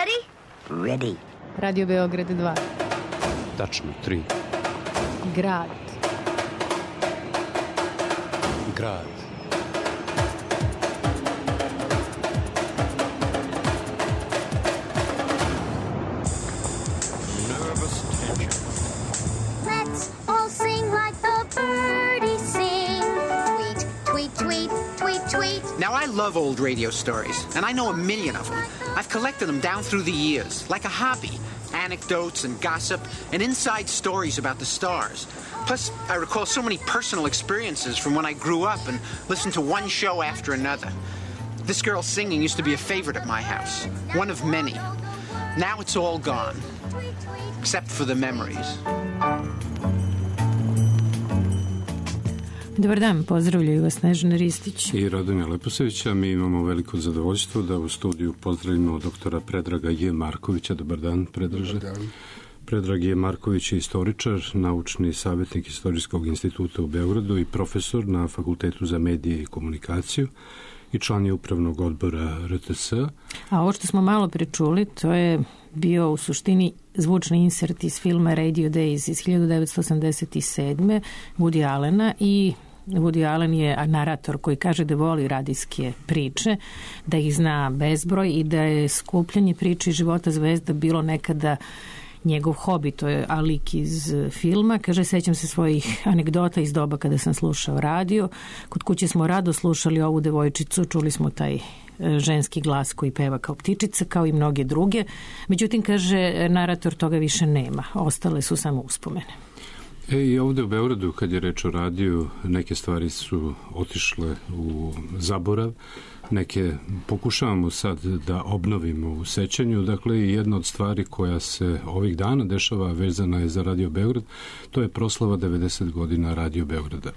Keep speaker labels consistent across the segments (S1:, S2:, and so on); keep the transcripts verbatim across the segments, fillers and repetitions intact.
S1: ready?
S2: Ready.
S3: Radio Beograd dva.
S4: Tačno, tri.
S3: Grad.
S4: Grad.
S1: Nervous tension. Let's all sing like the birdies sing. Tweet, tweet, tweet, tweet, tweet.
S5: Now, I love old radio stories, and I know a million of them. I've collected them down through the years, like a hobby. Anecdotes and gossip and inside stories about the stars. Plus, I recall so many personal experiences from when I grew up and listened to one show after another. This girl singing used to be a favorite at my house, one of many. Now it's all gone, except for the memories.
S3: Dobar dan, pozdravljaju vas Snežana Ristić
S4: i Radomir Leposević, a mi imamo veliko zadovoljstvo da u studiju pozdravimo doktora Predraga J. Markovića. Dobar dan, Predraže.
S6: Dobar dan.
S4: Predrag J. Marković je istoričar, naučni savjetnik Istorijskog instituta u Beogradu i profesor na Fakultetu za medije i komunikaciju i član je upravnog odbora R T S.
S3: A ovo što smo malo prečuli, to je bio u suštini zvučni insert iz filma Radio Days iz hiljadu devetsto osamdeset sedme. Woody Allena i Woody Allen je narator koji kaže da voli radijske priče, da ih zna bezbroj i da je skupljanje priče iz života zvezda bilo nekada njegov hobi, to je alik iz filma. Kaže, sećam se svojih anegdota iz doba kada sam slušao radio. Kod kuće smo rado slušali ovu devojčicu, čuli smo taj ženski glas koji peva kao ptičica, kao i mnoge druge. Međutim, kaže, narator toga više nema. Ostale su samo uspomene.
S4: E, i ovde u Beogradu, kad je reč o radiju, neke stvari su otišle u zaborav, neke pokušavamo sad da obnovimo u sećanju. Dakle, jedna od stvari koja se ovih dana dešava vezana je za Radio Beograd, to je proslava devedeset godina Radio Beograda.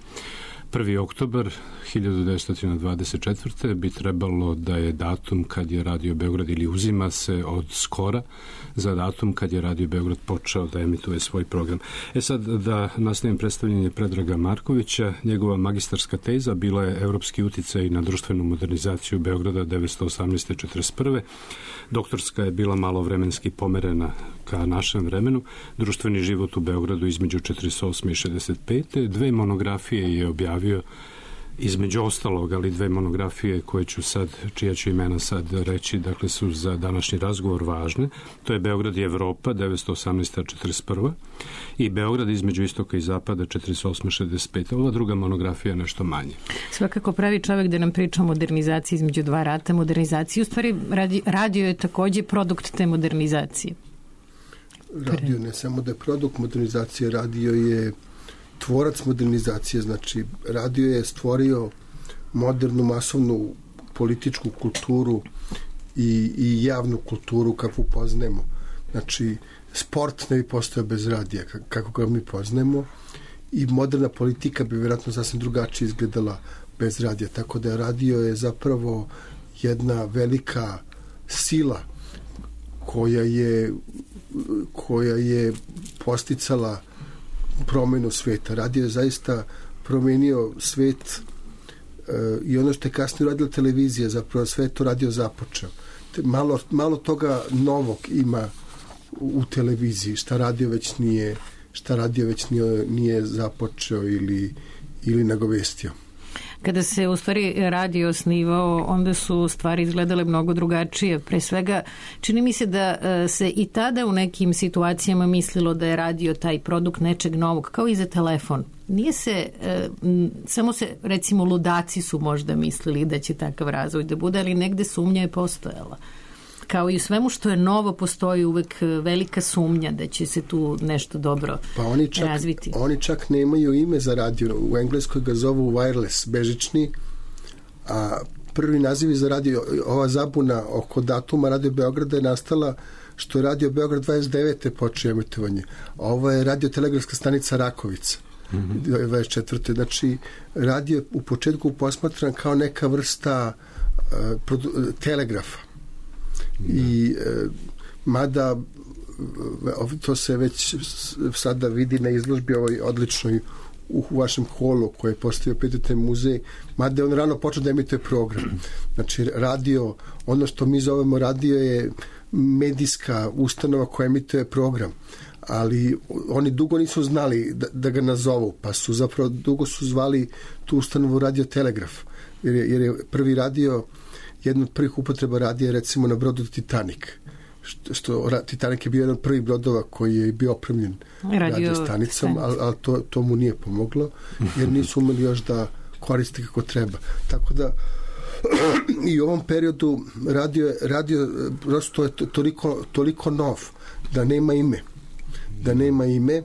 S4: prvi oktobar hiljadu devetsto dvadeset četvrte bi trebalo da je datum kad je Radio Beograd, ili uzima se od skora za datum kad je Radio Beograd počeo da emituje svoj program. E sad, da nastavim predstavljanje Predraga Markovića, njegova magistarska teza bila je Evropski uticaj na društvenu modernizaciju Beograda devetsto osamnaeste do četrdeset prve. Doktorska je bila malo vremenski pomerena ka našem vremenu. Društveni život u Beogradu između četrdeset osme i šezdeset pete. Dve monografije je objavio, između ostalog, ali dve monografije koje ću sad, čija ću imena sad reći, dakle su za današnji razgovor važne. To je Beograd i Evropa devetsto osamnaeste do četrdeset prve i Beograd između istoka i zapada četrdeset osme do šezdeset pete. Ova druga monografija je nešto manje.
S3: Svakako pravi čovjek da nam priča o modernizaciji između dva rata. Modernizaciji, u stvari radio je takođe produkt te modernizacije.
S6: Radio ne samo da je produkt modernizacije, radio je tvorac modernizacije, znači radio je stvorio modernu masovnu političku kulturu i, i javnu kulturu kakvu poznajemo. Znači, sport ne bi postojao bez radija kako ga mi poznajemo i moderna politika bi vjerojatno sasvim drugačije izgledala bez radija. Tako da radio je zapravo jedna velika sila koja je koja je posticala promenu sveta. Radio je zaista promenio svet e, i ono što je kasnije radila televizija, zapravo sve to radio započeo. Te, malo, malo toga novog ima u, u televiziji, šta radio već nije šta radio već nije, nije započeo ili, ili nagovestio.
S3: Kada se u stvari radio osnivao, onda su stvari izgledale mnogo drugačije. Pre svega, čini mi se da se i tada u nekim situacijama mislilo da je radio taj produkt nečeg novog, kao i za telefon. Nije se, samo se, recimo, ludaci su možda mislili da će takav razvoj da bude, ali negde sumnja je postojala. Kao i u svemu što je novo, postoji uvek velika sumnja da će se tu nešto dobro
S6: pa oni čak,
S3: razviti.
S6: Oni čak nemaju ime za radio. U Engleskoj ga zovu wireless, bežični, a prvi naziv za radio, ova zabuna oko datuma Radio Beograda je nastala što je Radio Beograd dvadeset devete počeo emitovanje. A ovo je radiotelegrafska stanica Rakovica. Mm-hmm. dvadeset četvrte Znači, radio je u početku posmatran kao neka vrsta uh, produ- telegrafa. I e, mada to se već sada vidi na izložbi ovoj odličnoj u, u vašem holu koji je postavio P T T muzej, mada je on rano počeo da emituje program. Znači radio, ono što mi zovemo radio je medijska ustanova koja emituje program, ali oni dugo nisu znali da, da ga nazovu, pa su zapravo dugo su zvali tu ustanovu Radio Telegraf, jer je, jer je prvi radio, jedna od prvih upotreba radija recimo na brodu Titanic, što, što Titanic je bio jedan od prvih brodova koji je bio opremljen radio stanicom, ali, ali to, to mu nije pomoglo, jer nisu umeli još da koriste kako treba. Tako da i u ovom periodu radio, radio prosto je toliko, toliko nov da nema ime. Da nema ime,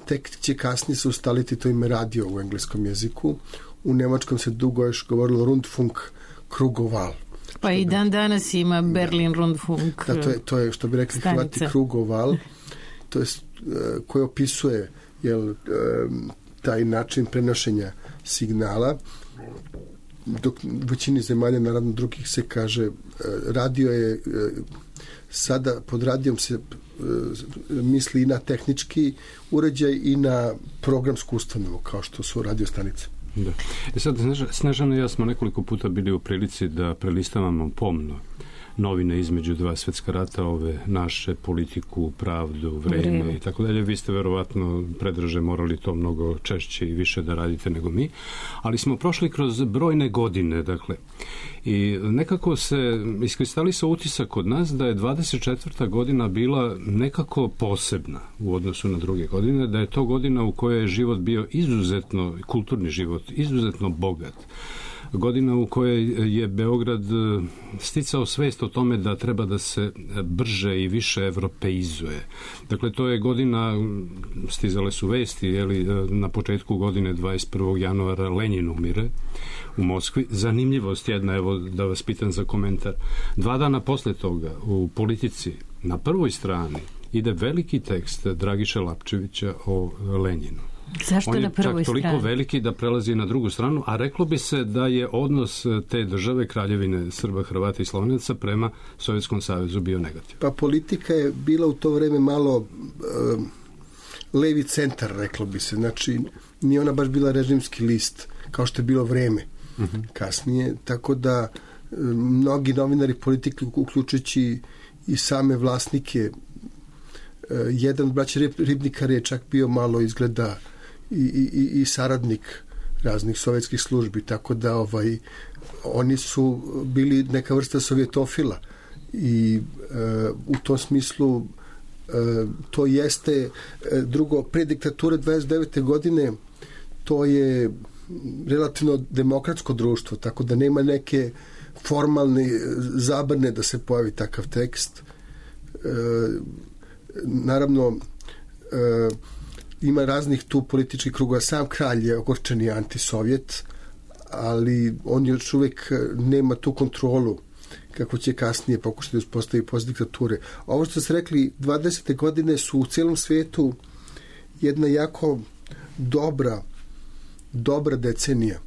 S6: tek će kasnije se ustaliti to ime radio u engleskom jeziku. U nemačkom se dugo još govorilo Rundfunk Krugoval.
S3: Pa i dan danas ima Berlin Rundfunk.
S6: Da, to je, to je što bi rekli Hrvati Krugoval, to je koje opisuje jel, taj način prenošenja signala, dok u većini zemalja, naravno drugih, se kaže radio je, sada pod radijom se misli i na tehnički uređaj i na programsku ustanovu, kao što su radiostanice.
S4: Da. E sad, Snežana i ja smo nekoliko puta bili u prilici da prelistavamo pomno novine između dva svetska rata, ove naše, politiku, pravdu, vreme, vreme. i tako dalje. Vi ste verovatno, Predraže, morali to mnogo češće i više da radite nego mi, ali smo prošli kroz brojne godine, dakle, i nekako se iskristalisao utisak kod nas da je dvadeset četvrta godina bila nekako posebna u odnosu na druge godine, da je to godina u kojoj je život bio izuzetno, kulturni život, izuzetno bogat. Godina u kojoj je Beograd sticao svest o tome da treba da se brže i više evropeizuje. Dakle, to je godina, stizale su vesti, jeli, na početku godine dvadeset prvog januara Lenjin umire u Moskvi. Zanimljivost jedna, evo da vas pitam za komentar. Dva dana posle toga u Politici na prvoj strani ide veliki tekst Dragiše Lapčevića o Lenjinu.
S3: Zašto
S4: on je
S3: na prvoj
S4: čak toliko
S3: strani?
S4: veliki da prelazi na drugu stranu, a reklo bi se da je odnos te države, Kraljevine Srba, Hrvata i Slovenaca prema Sovjetskom savezu bio negativan.
S6: Pa politika je bila u to vreme malo um, levi centar, reklo bi se. Znači, nije ona baš bila režimski list, kao što je bilo vreme uh-huh. kasnije, tako da um, mnogi novinari politike, uključujući i same vlasnike, uh, jedan od braća Ribnikar je čak bio malo izgleda I, i, i saradnik raznih sovjetskih službi, tako da ovaj, oni su bili neka vrsta sovjetofila i e, u tom smislu e, to jeste e, drugo, pre diktature dvadeset devete godine to je relativno demokratsko društvo, tako da nema neke formalne zabrane da se pojavi takav tekst. E, naravno e, ima raznih tu političkih krugova. Sam kralj je ogorčeni antisovjet, ali on još uvijek nema tu kontrolu kako će kasnije pokušati da uspostavi posle diktature. Ovo što ste rekli, dvadesete godine su u cijelom svijetu jedna jako dobra dobra decenija.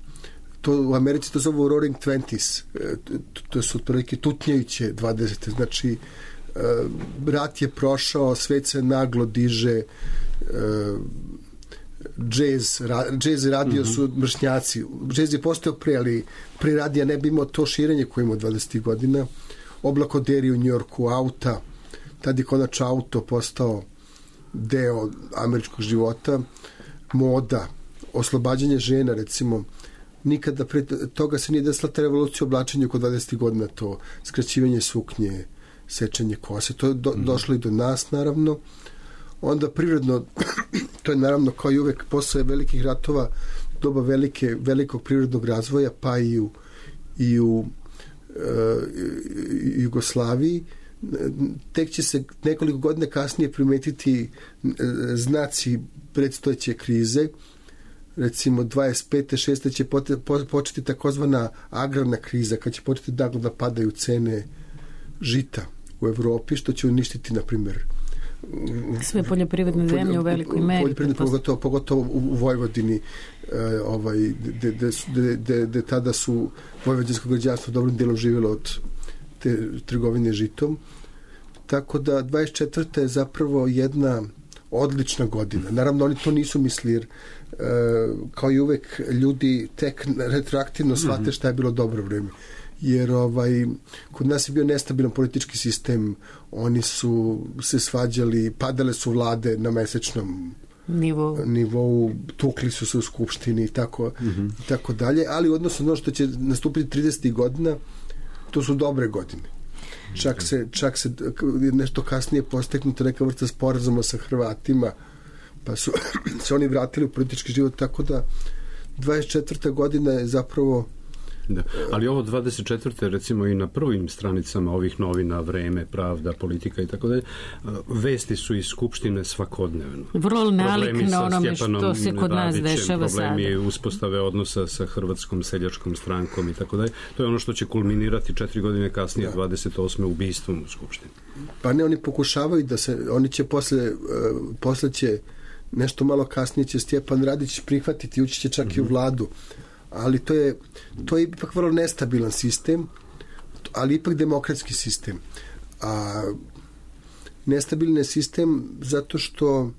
S6: To u Americi to zove Roaring Twenties. To su otprilike tutnjajuće dvadesete. Znači, rat je prošao, svet se naglo diže, džez, džez radio mm-hmm. su mršnjaci. Džez je postao pre, ali pre radija ne bi imao to širenje koje imao dvadesetih godina. Oblakoderi u Njujorku, auta, tad je konačno auto postao deo američkog života, moda, oslobađanje žena, recimo. Nikada pre toga se nije desila ta revolucija u oblačenju oko dvadesetih godina, to skraćivanje suknje, sečenje kose, to je do, mm. došlo i do nas, naravno. Onda prirodno, to je naravno kao i uvek posle velikih ratova, doba velike, velikog prirodnog razvoja, pa i u, i u e, Jugoslaviji. Tek će se nekoliko godina kasnije primetiti znaci predstojeće krize. Recimo dvadeset pete šeste će početi takozvana agrarna kriza, kad će početi naglo da padaju cene žita u Evropi, što će uništiti, na primjer,
S3: sve poljoprivredne zemlje u velikoj meri.
S6: Poljoprivredne, pogotovo, pogotovo u Vojvodini, e, ovaj, gde tada su vojvođansko građanstvo dobrim dijelom živjelo od te trgovine žitom. Tako da dvadeset četvrta je zapravo jedna odlična godina. Naravno, oni to nisu mislili, jer e, kao i uvek ljudi tek retroaktivno shvate šta je bilo dobro vreme. jer ovaj, kod nas je bio nestabilan politički sistem, oni su se svađali, padale su vlade na mesečnom nivou, nivou tukli su se u skupštini i tako, mm-hmm. i tako dalje, ali odnosno ono što će nastupiti tridesetih godina, to su dobre godine. Čak se, čak se nešto kasnije posteknuto neka vrsta sporazuma sa Hrvatima, pa su se oni vratili u politički život, tako da dvadeset četvrta godina je zapravo...
S4: Da. Ali ovo dvadeset četvrte recimo i na prvim stranicama ovih novina, Vreme, Pravda, Politika i tako dalje, vesti su iz Skupštine svakodnevno.
S3: Vrlo nalik na onome što se kod nas dešava sada.
S4: Problemi uspostave odnosa sa Hrvatskom seljačkom strankom i tako dalje. To je ono što će kulminirati četiri godine kasnije, da. dvadeset osme ubistvom u Skupštini.
S6: Pa ne, oni pokušavaju da se, oni će posle, uh, posle će nešto malo kasnije će Stjepan Radić prihvatiti, ući će čak mm-hmm. i u vladu. Ali to je, to je ipak vrlo nestabilan sistem, ali ipak demokratski sistem. A nestabilan je sistem zato što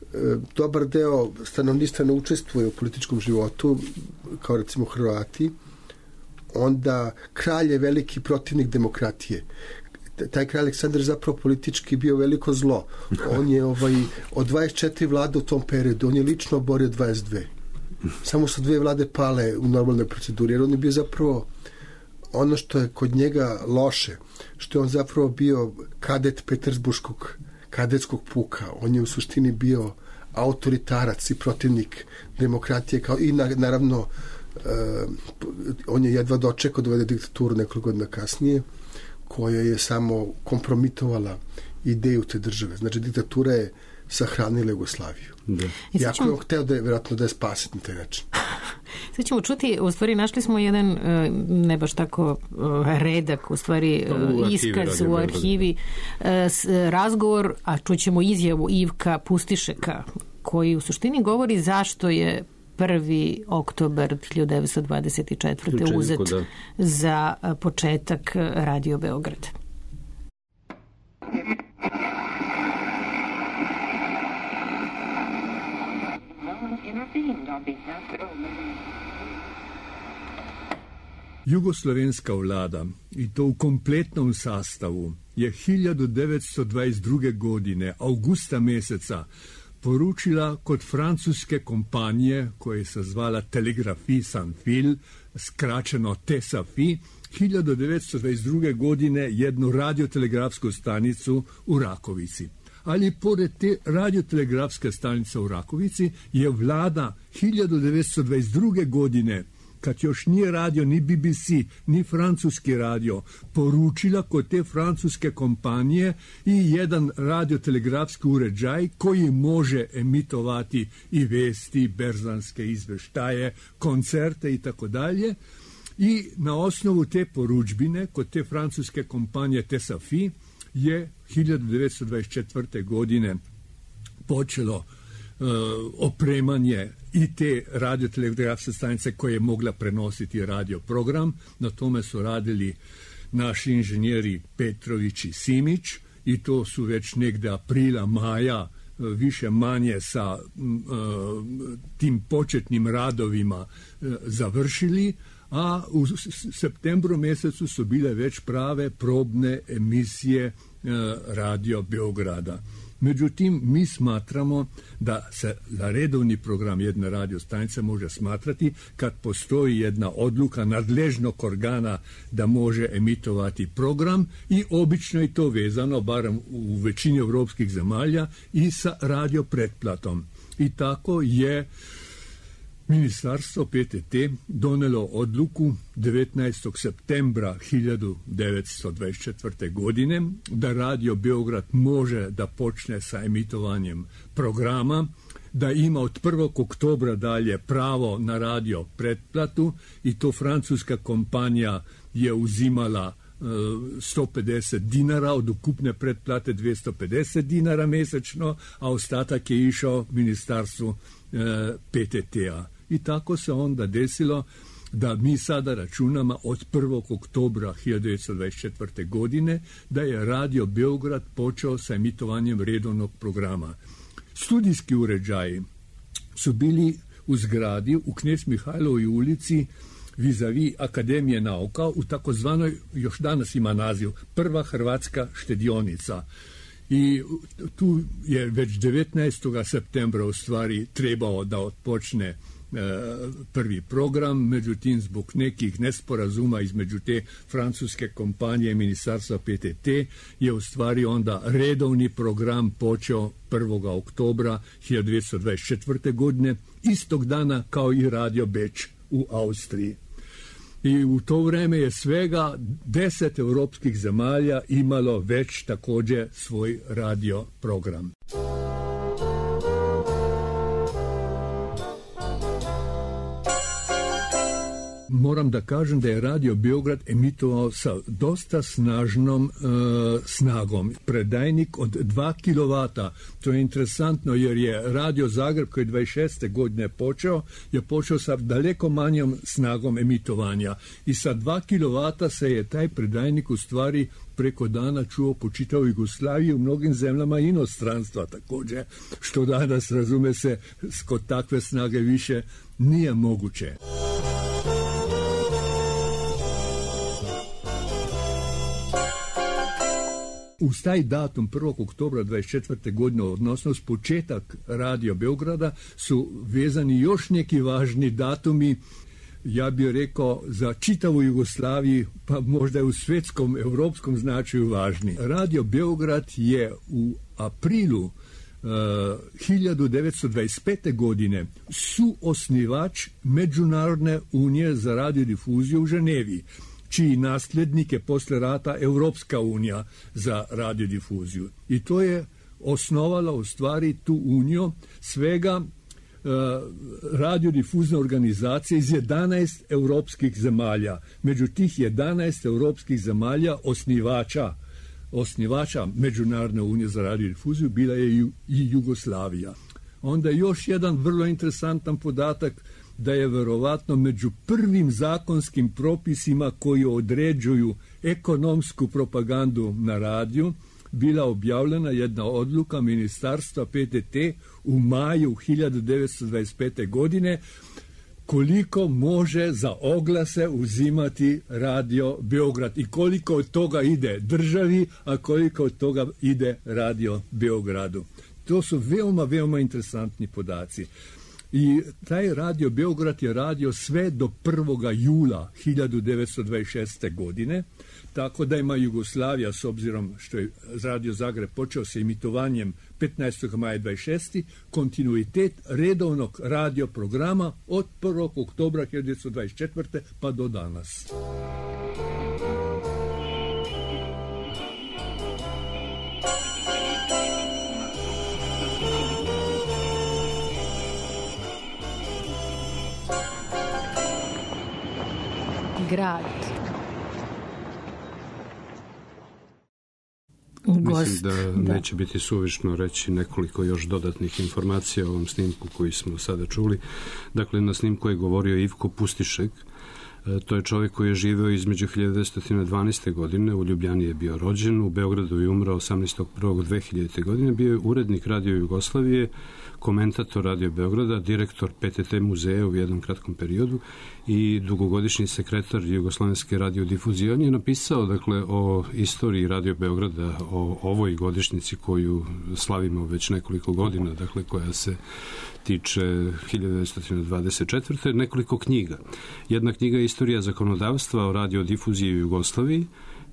S6: e, dobar deo stanovništva ne učestvuje u političkom životu, kao recimo Hrvati, onda kralj je veliki protivnik demokratije. Taj kralj Aleksandar zapravo politički bio veliko zlo. On je ovaj, od dvadeset četiri vlade u tom periodu, on je lično oborio dvadeset dve. Samo su dve vlade pale u normalnoj proceduri, jer on je bio zapravo ono što je kod njega loše, što je on zapravo bio kadet Petersburškog kadetskog puka. On je u suštini bio autoritarac i protivnik demokratije, kao i na, naravno uh, on je jedva dočekao da uvede diktaturu nekoliko godina kasnije, koja je samo kompromitovala ideju te države. Znači, diktatura je sahranila Jugoslaviju. Da. Iako ćemo... je on hteo da je vjerojatno da je spasiti na taj način.
S3: Sad ćemo čuti, u stvari našli smo jedan ne baš tako redak, u stvari u iskaz u arhivi, razgovor, a čućemo izjavu Ivka Pustišeka, koji u suštini govori zašto je prvi oktobar hiljadu devetsto dvadeset četvrte uzet da. za početak Radio Beograd.
S2: Jugoslovenska vlada, i to u kompletnom sastavu, je hiljadu devetsto dvadeset druge godine, avgusta meseca, poručila kod francuske kompanije, koja se zvala Telegrafie sans fil, skraćeno T E S A F I, hiljadu devetsto dvadeset druge godine jednu radiotelegrafsku stanicu u Rakovici. Ali pored te radiotelegrafske stanice u Rakovici je vlada hiljadu devetsto dvadeset druge godine, kad još nije radio ni B B C, ni francuski radio, poručila kod te francuske kompanije i jedan radiotelegrafski uređaj koji može emitovati i vesti, berzanske izveštaje, koncerte i tako dalje. I na osnovu te poručbine kod te francuske kompanije T E S A F I je hiljadu devetsto dvadeset četvrte godine počelo uh, opremanje i te radiotelegrafske stanice koje je mogla prenositi radio program. Na tome su radili naši inženjeri Petrović i Simić i to su već negde aprila, maja više manje sa uh, tim početnim radovima uh, završili, a u septembru mjesecu su bile već prave probne emisije e, Radio Beograda. Međutim, mi smatramo da se za redovni program jedne radio stanice može smatrati kad postoji jedna odluka nadležnog organa da može emitovati program i obično je to vezano, barem u većini evropskih zemalja, i sa radio pretplatom. I tako je Ministarstvo P T T donelo odluku devetnaestog septembra hiljadu devetsto dvadeset četvrte godine da Radio Beograd može da počne sa emitovanjem programa, da ima od prvog oktobra dalje pravo na radio pretplatu i to francuska kompanija je uzimala sto pedeset dinara, od ukupne pretplate dvjesto pedeset dinara mesečno, a ostatak je išao ministarstvu P T T-a. I tako se onda desilo da mi sada računamo od prvog oktobra hiljadu devetsto dvadeset četvrte godine da je Radio Beograd počeo sa emitovanjem redovnog programa. Studijski uređaji su bili u zgradi u Knez Mihajlovoj ulici vis-a-vis Akademije nauka u takozvanoj, još danas ima naziv, Prva hrvatska štedionica. I tu je već devetnaestog septembra u stvari trebao da odpočne e, prvi program, međutim zbog nekih nesporazuma između te francuske kompanije i ministarstva P T T je u stvari onda redovni program počeo prvog oktobra hiljadu devetsto dvadeset četvrte. godine, istog dana kao i Radio Beč u Austriji. I u to vreme je svega deset europskih zemalja imalo već također svoj radio program. Moram da kažem da je Radio Beograd emitovao sa dosta snažnom e, snagom. Predajnik od dva kilovata. To je interesantno jer je Radio Zagreb koji je dvadeset šeste. godine počeo, je počeo sa daleko manjom snagom emitovanja. I sa dva kilovata se je taj predajnik u stvari preko dana čuo po čitavoj Jugoslaviji u mnogim zemljama inostranstva također, što danas, razume se, kod takve snage više nije moguće. Uz taj datum prvog oktobra dvadeset četvrte. godine, odnosno s početak Radio Beograda, su vezani još neki važni datumi, ja bih rekao za čitavu Jugoslaviju, pa možda u svjetskom, europskom značaju važni. Radio Beograd je u aprilu uh, hiljadu devetsto dvadeset pete. godine suosnivač Međunarodne unije za radiodifuziju u Ženevi, čiji nasljednik je posle rata Europska unija za radiodifuziju. I to je osnovala u stvari tu uniju svega uh, radiodifuzne organizacije iz jedanaest europskih zemalja. Među tih jedanaest europskih zemalja osnivača osnivača Međunarodne unije za radiodifuziju bila je i Jugoslavija. Onda još jedan vrlo interesantan podatak, da je verovatno među prvim zakonskim propisima koji određuju ekonomsku propagandu na radiju bila objavljena jedna odluka ministarstva P T T u maju hiljadu devetsto dvadeset pete. godine koliko može za oglase uzimati Radio Beograd i koliko od toga ide državi, a koliko od toga ide Radio Beogradu. To su veoma, veoma interesantni podaci. I taj Radio Beograd je radio sve do prvog jula hiljadu devetsto dvadeset šeste. godine, tako da ima Jugoslavija, s obzirom što je Radio Zagreb počeo sa emitovanjem petnaestog maja dvadeset šeste. kontinuitet redovnog radio programa od prvog oktobra hiljadu devetsto dvadeset četvrte. pa do danas.
S3: Grad.
S4: Mislim da, da neće biti suvišno reći nekoliko još dodatnih informacija o ovom snimku koji smo sada čuli. Dakle, na snimku je govorio Ivko Pustišek. To je čovjek koji je živeo između hiljadu devetsto dvanaeste. godine, u Ljubljani je bio rođen, u Beogradu je umrao osamnaestog prvog dve hiljadite. godine, bio je urednik Radio Jugoslavije, komentator Radio Beograda, direktor P T T muzeja u jednom kratkom periodu i dugogodišnji sekretar Jugoslovenske radiodifuzije. On je napisao, dakle, o istoriji Radio Beograda, o ovoj godišnjici koju slavimo već nekoliko godina, dakle, koja se tiče hiljadu devetsto dvadeset četvrte. nekoliko knjiga. Jedna knjiga je Istorija zakonodavstva o radiodifuziji u Jugoslaviji,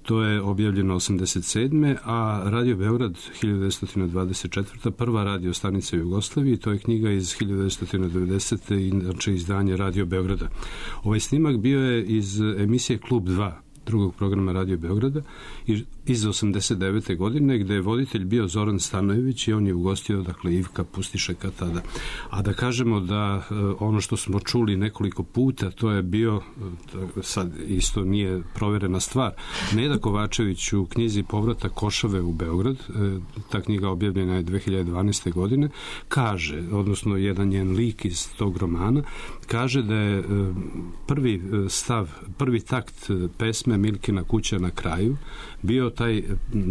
S4: to je objavljeno osamdeset sedme. a Radio Beograd hiljadu devetsto dvadeset četvrte. prva radio stanica u Jugoslaviji, to je knjiga iz hiljadu devetsto devedesete. inače izdanje Radio Beograda. Ovaj snimak bio je iz emisije Klub dva, drugog programa Radio Beograda, iz osamdeset devete. godine, gde je voditelj bio Zoran Stanojević i on je ugostio, dakle, Ivka Pustišeka tada. A da kažemo da ono što smo čuli nekoliko puta, to je bio, sad isto nije proverena stvar, Neda Kovačević u knjizi Povratak Košave u Beograd, ta knjiga objavljena je dve hiljade dvanaeste. godine, kaže, odnosno jedan njen lik iz tog romana, kaže da je prvi stav, prvi takt pesme Ivana Milkina kuća na kraju bio taj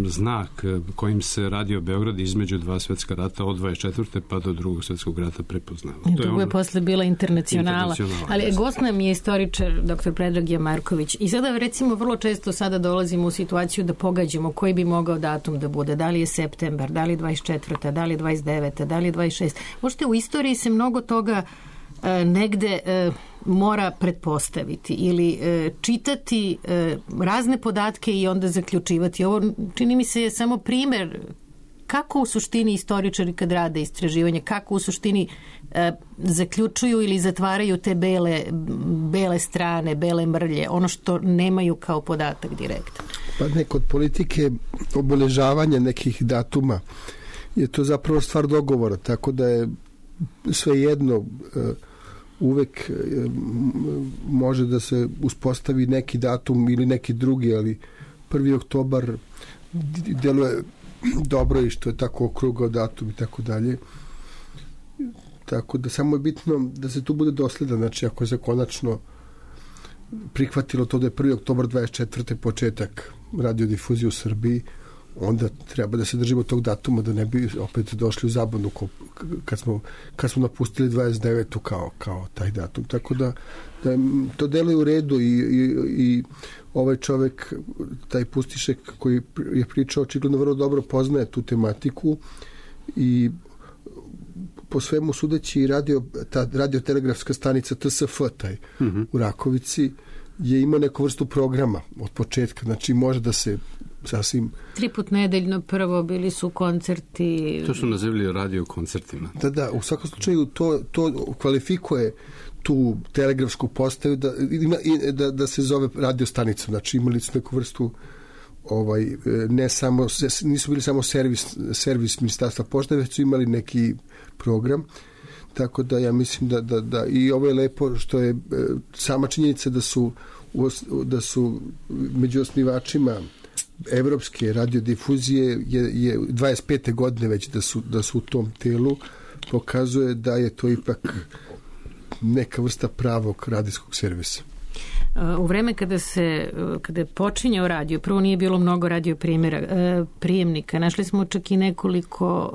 S4: znak kojim se Radio Beograd između dva svetska rata od dvadeset četvrte pa do drugog svetskog rata prepoznao.
S3: To je, ono... je posle bila internacionala. Ali gost nam je istoričar doktor Predrag Marković. I sada recimo vrlo često sada dolazimo u situaciju da pogađamo koji bi mogao datum da bude. Da li je septembar, da li je dvadeset četvrta, da li je dvadeset deveta, da li je dvadeset šesta. Možete, u istoriji se mnogo toga e, negde e, mora pretpostaviti ili e, čitati e, razne podatke i onda zaključivati. Ovo čini mi se je samo primer kako u suštini istoričari kad rade istraživanje, kako u suštini e, zaključuju ili zatvaraju te bele, bele strane, bele mrlje, ono što nemaju kao podatak direktan.
S6: Pa ne, kod politike obeležavanja nekih datuma je to zapravo stvar dogovora, tako da je svejedno uvek može da se uspostavi neki datum ili neki drugi, ali prvi oktobar deluje dobro i što je tako okrugao datum i tako dalje. Tako da samo je bitno da se tu bude dosledan, znači ako je se konačno prihvatilo to da je prvi oktobar dvadeset četvrte početak radiodifuzije u Srbiji, onda treba da se držimo tog datuma da ne bi opet došli u zabunu kad smo, kad smo napustili dvadeset devetu kao, kao taj datum. Tako da, da to deluje u redu i, i, i ovaj čovek, taj Pustišek koji je pričao, očigledno vrlo dobro poznaje tu tematiku i po svemu sudeći radio, ta radiotelegrafska stanica T S F taj mm-hmm. u Rakovici je imao neku vrstu programa od početka, znači može da se sasvim...
S3: Tri put nedeljno prvo bili su koncerti...
S4: To su nazivali radio koncertima.
S6: Da, da, u svakom slučaju to, to kvalifikuje tu telegrafsku postaju da, da, da se zove radio stanica, znači imali su neku vrstu ovaj, ne samo, nisu bili samo servis, servis ministarstva pošte, već su imali neki program, tako da ja mislim da, da, da i ovo je lepo što je sama činjenica da su, da su među osnivačima evropske radiodifuzije je, je dvadeset pete godine već da su, da su u tom telu, pokazuje da je to ipak neka vrsta pravog radijskog servisa.
S3: U vreme kada se kada je počinjao radio, prvo nije bilo mnogo radio primjera, prijemnika, našli smo čak i nekoliko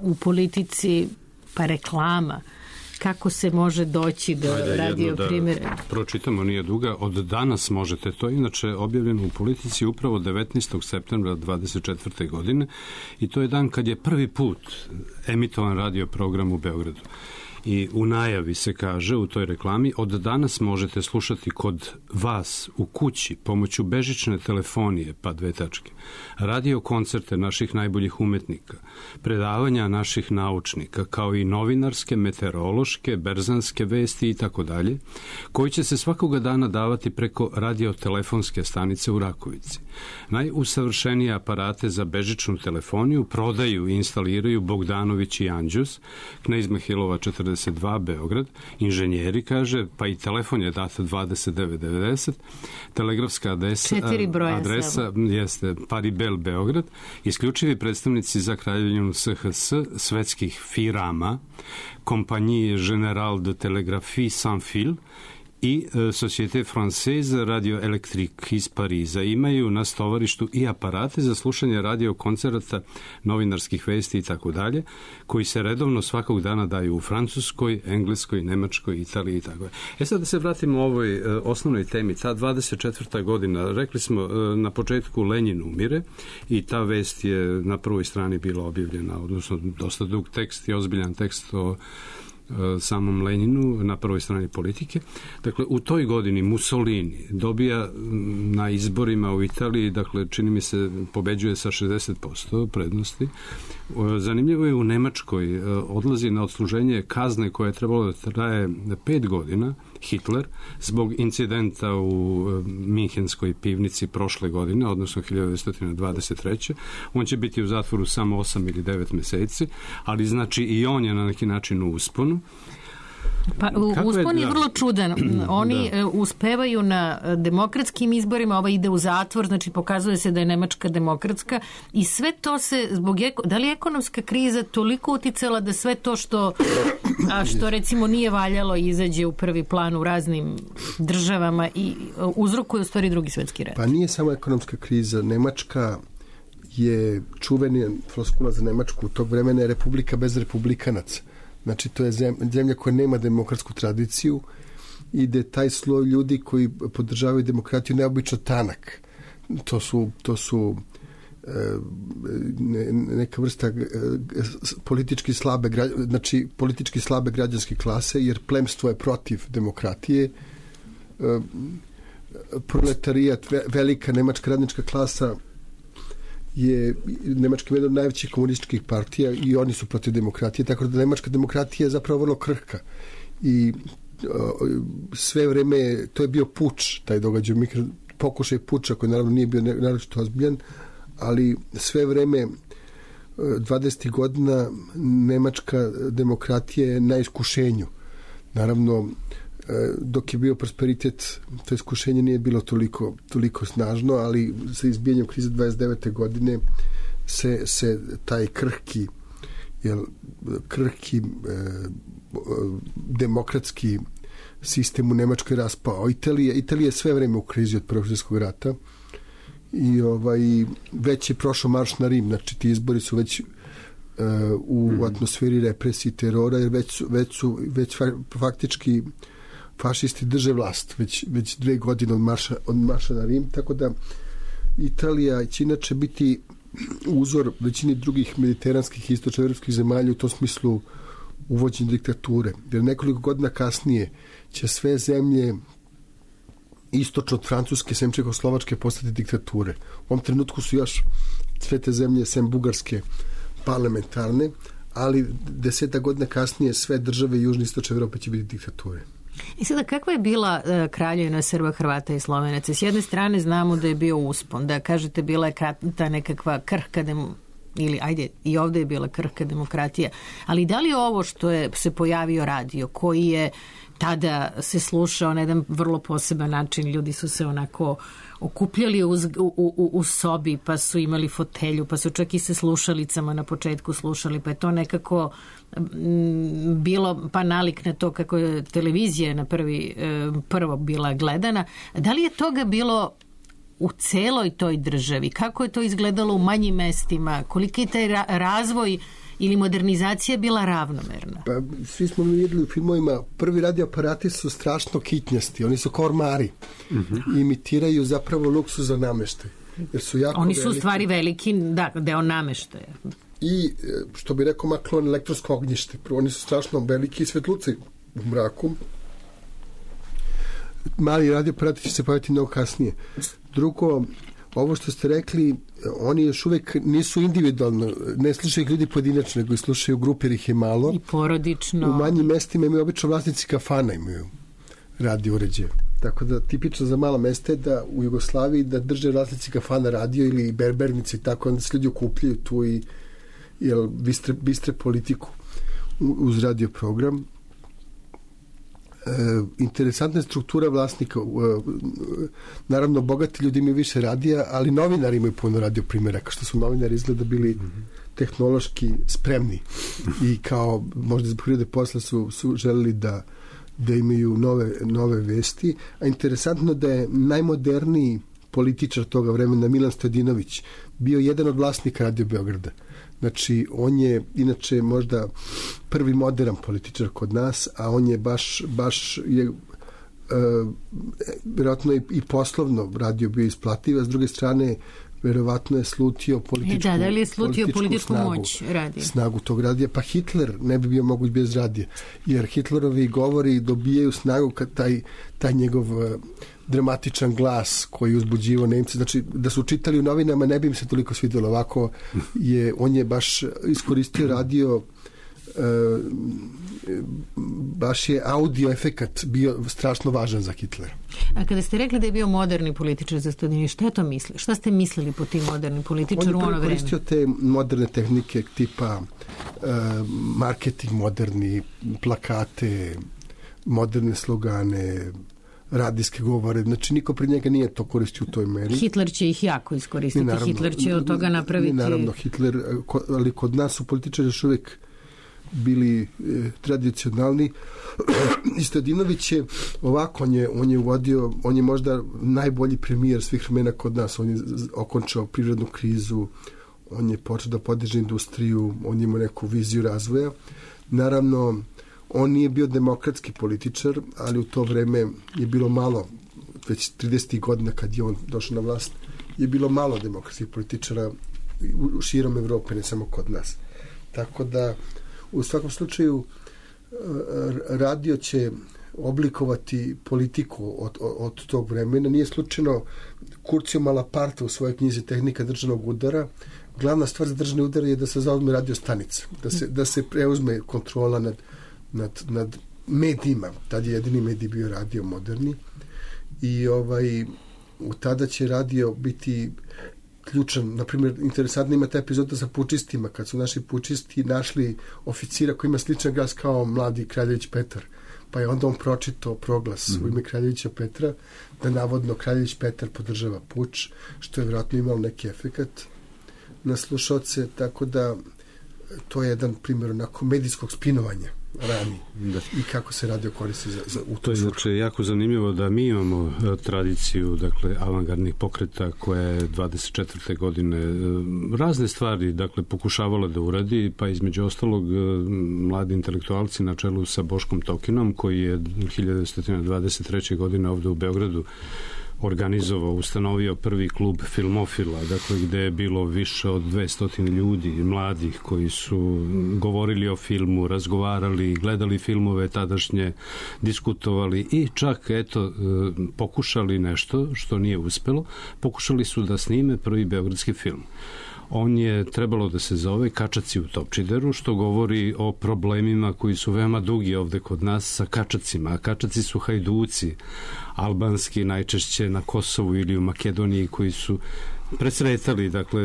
S3: u politici pa reklama kako se može doći do Ajde, radio da primjera.
S4: Pročitamo, nije duga. Od danas možete to, inače objavljeno u Politici upravo devetnaestog septembra dvadeset četvrte godine i to je dan kad je prvi put emitovan radio program u Beogradu. I u najavi se kaže u toj reklami: od danas možete slušati kod vas u kući pomoću bežične telefonije, pa dve tačke, radio koncerte naših najboljih umetnika, predavanja naših naučnika, kao i novinarske, meteorološke, berzanske vesti i tako dalje, koji će se svakoga dana davati preko radiotelefonske stanice u Rakovici. Najusavršenije aparate za bežičnu telefoniju prodaju i instaliraju Bogdanović i Anđus, Knez Mihajlova četrdeset dva Beograd, inženjeri, kaže, pa i telefon je data dvadeset devet devedeset, telegrafska adresa, adresa jeste Paribel Beograd, isključivi predstavnici za Kraljevinu S H S, svetskih firama, kompanije General de Telegraphie Sans Fil i Société Française Radio Electrique iz Pariza. Imaju na stovarištu i aparate za slušanje radio koncerata, novinarskih vesti i tako dalje, koji se redovno svakog dana daju u Francuskoj, Engleskoj, Nemačkoj, Italiji i tako dalje. E sad da se vratimo ovoj e, osnovnoj temi. Ta dvadeset četvrta godina, rekli smo e, na početku Lenin umire i ta vest je na prvoj strani bila objavljena, odnosno dosta dug tekst i ozbiljan tekst o samom Leninu na prvoj strani Politike. Dakle, u toj godini Mussolini dobija na izborima u Italiji, dakle, čini mi se, pobeđuje sa šezdeset posto prednosti. Zanimljivo je, u Nemačkoj odlazi na odsluženje kazne koje je trebalo da traje pet godina, Hitler, zbog incidenta u minhenskoj pivnici prošle godine, odnosno hiljadu devetsto dvadeset treće. On će biti u zatvoru samo osam ili devet meseci, ali znači i on je na neki način u usponu.
S3: Pa, uspon je vrlo čudan. Oni da. uspevaju na demokratskim izborima, ova ide u zatvor, znači pokazuje se da je Nemačka demokratska i sve to se zbog, da li je ekonomska kriza toliko uticala da sve to što, a što recimo nije valjalo izađe u prvi plan u raznim državama i uzrokuje u stvari drugi svetski rat?
S6: Pa nije samo ekonomska kriza. Nemačka je čuveni floskula za Nemačku. U tog vremena je republika bez republikanaca. Znači, to je zemlja koja nema demokratsku tradiciju i da je taj sloj ljudi koji podržavaju demokratiju neobično tanak. To su, to su e, ne, neka vrsta e, politički slabe, znači, politički slabe građanske klase, jer plemstvo je protiv demokratije. E, proletarijat, velika nemačka radnička klasa je Nemačka jedna od najvećih komunističkih partija i oni su protiv demokratije, tako da nemačka demokratija je zapravo vrlo krhka i o, sve vreme to je bio puč, taj događaj, pokušaj puča koji naravno nije bio naročito ozbiljan, ali sve vreme dvadesetih godina nemačka demokratija je na iskušenju. Naravno, dok je bio prosperitet, to iskušenje nije bilo toliko, toliko snažno, ali sa izbijanjem krize dvadeset devete godine se, se taj krhki jel, krhki eh, demokratski sistem u Nemačkoj raspao. Italija, Italija je sve vreme u krizi od Prvog svjetskog rata i ovaj, već je prošao marš na Rim, znači ti izbori su već uh, u mm. atmosferi represije i terora, jer već su, već su već faktički fašisti drže vlast već, već dve godine od marša, od marša na Rim, tako da Italija će inače biti uzor većini drugih mediteranskih i istočnoevropskih zemalja u tom smislu uvođenja diktature. Jer nekoliko godina kasnije će sve zemlje istočno od Francuske, sem Čehoslovačke, postati diktature. U ovom trenutku su još sve te zemlje, sem Bugarske, parlamentarne, ali deseta godina kasnije sve države Južne i Istočne Evrope će biti diktature.
S3: I sada, kakva je bila uh, kraljevina Srba, Hrvata i Slovenaca? S jedne strane znamo da je bio uspon, da kažete bila je ta nekakva krhka dem, ili ajde, i ovdje je bila krhka demokratija, ali da li je ovo što je se pojavio radio, koji je tada se slušao na jedan vrlo poseban način, ljudi su se onako okupljali uz, u, u, u sobi, pa su imali fotelju, pa su čak i se slušalicama na početku slušali, pa je to nekako m, bilo pa nalik na to kako je televizija na prvi, prvo bila gledana. Da li je toga bilo u celoj toj državi? Kako je to izgledalo u manjim mestima? Koliki je taj ra- razvoj ili modernizacija bila ravnomerna?
S6: Pa, svi smo vidjeli u filmovima, prvi radioaparati su strašno kitnjasti, oni su kao ormari. Mm-hmm. Imitiraju zapravo luksuzan nameštaj. Jer su jako
S3: oni su
S6: veliki.
S3: U stvari veliki, da, deo nameštaja.
S6: I, što bi rekao Maklon, elektronsko ognjište. Prvo, oni su strašno veliki i svetluci u mraku. Mali radioaparati će se pojaviti mnogo kasnije. Drugo, ovo što ste rekli, oni još uvek nisu individualno, ne slušaju ljudi pojedinačno, nego slušaju grupe, jer ih je malo.
S3: I porodično.
S6: U manjim mestima imaju obično vlasnici kafana, imaju radio uređaje. Tako da tipično za mala mesta je da u Jugoslaviji da drže vlasnici kafana radio ili berbernici, tako onda se ljudi okupljaju tu i jel, bistre, bistre politiku uz radio program. E, interesantna je struktura vlasnika. E, naravno, bogati ljudi imaju više radija, ali novinari imaju puno radio primjeraka, što su novinari izgleda bili mm-hmm. tehnološki spremni i kao možda zbog prirode posla su, su želeli da, da imaju nove, nove vesti. A interesantno da je najmoderniji političar toga vremena Milan Stojadinović bio jedan od vlasnika Radio Beograda. Znači, on je inače možda prvi modern političar kod nas, a on je baš, baš je, e, vjerojatno i, i poslovno radio bio isplativ, a s druge strane vjerovatno je slutio političku,
S3: da, da li je slutio
S6: političku,
S3: političku
S6: snagu,
S3: moć radija.
S6: snagu tog radija. Pa Hitler ne bi bio moguć bez radija, jer Hitlerovi govori dobijaju snagu kad taj, taj njegov dramatičan glas koji uzbuđivo Nemce, znači da su čitali u novinama ne bi im se toliko svidjelo. Ovako je, on je baš iskoristio radio, e, baš je audio efekat bio strašno važan za Hitlera.
S3: A kada ste rekli da je bio moderni političar za Stojadinović, šta je to misli? Šta ste mislili po tim modernim političaru u ono vreme?
S6: On je koristio te moderne tehnike tipa marketing moderni, plakate, moderne slogane, radijske govore, znači niko pred njega nije to koristio u toj meri.
S3: Hitler će ih jako iskoristiti, naravno, Hitler će od toga napraviti...
S6: Naravno, Hitler, ali kod nas su političari još uvijek bili e, tradicionalni. I Stojadinović je ovako, on je, on je uvodio, on je možda najbolji premijer svih vremena kod nas, on je okončao privrednu krizu, on je počeo da podiže industriju, on je imao neku viziju razvoja. Naravno, on nije bio demokratski političar, ali u to vreme je bilo malo, već tridesetih godina kad je on došao na vlast, je bilo malo demokratskih političara u širom Evrope, ne samo kod nas. Tako da, u svakom slučaju, radio će oblikovati politiku od, od, od tog vremena. Nije slučajno Curcio Malaparte u svojoj knjizi Tehnika državnog udara. Glavna stvar za državni udar je da se zauzme radio stanica, da se, da se preuzme kontrola nad, nad, nad medijima. Tad je jedini medij bio radio moderni. I ovaj, u tada će radio biti ključan. Naprimjer, interesantna ima ta epizoda sa pučistima, kad su naši pučisti našli oficira koji ima sličan glas kao mladi Kraljević Petar. Pa je onda on pročitao proglas mm-hmm. u ime Kraljevića Petra, da navodno Kraljević Petar podržava puč, što je vjerojatno imalo neki efekat na slušalce, tako da to je jedan primjer onako medijskog spinovanja rani da. I kako se radio koristi za, za u
S4: to je znači jako zanimljivo da mi imamo uh, tradiciju, dakle, avangardnih pokreta koja je dvadeset četvrte godine uh, razne stvari, dakle, pokušavala da uradi, pa između ostalog uh, mladi intelektualci na čelu sa Boškom Tokinom, koji je hiljadu devetsto dvadeset treće godine ovde u Beogradu organizovao, ustanovio prvi klub filmofila, dakle, gde je bilo više od dvesta ljudi, mladih, koji su govorili o filmu, razgovarali, gledali filmove tadašnje, diskutovali i čak, eto, pokušali nešto što nije uspelo, pokušali su da snime prvi beogradski film. On je trebalo da se zove Kačaci u Topčideru, što govori o problemima koji su veoma dugi ovde kod nas sa kačacima. A kačaci su hajduci, albanski, najčešće na Kosovu ili u Makedoniji, koji su presretali, dakle,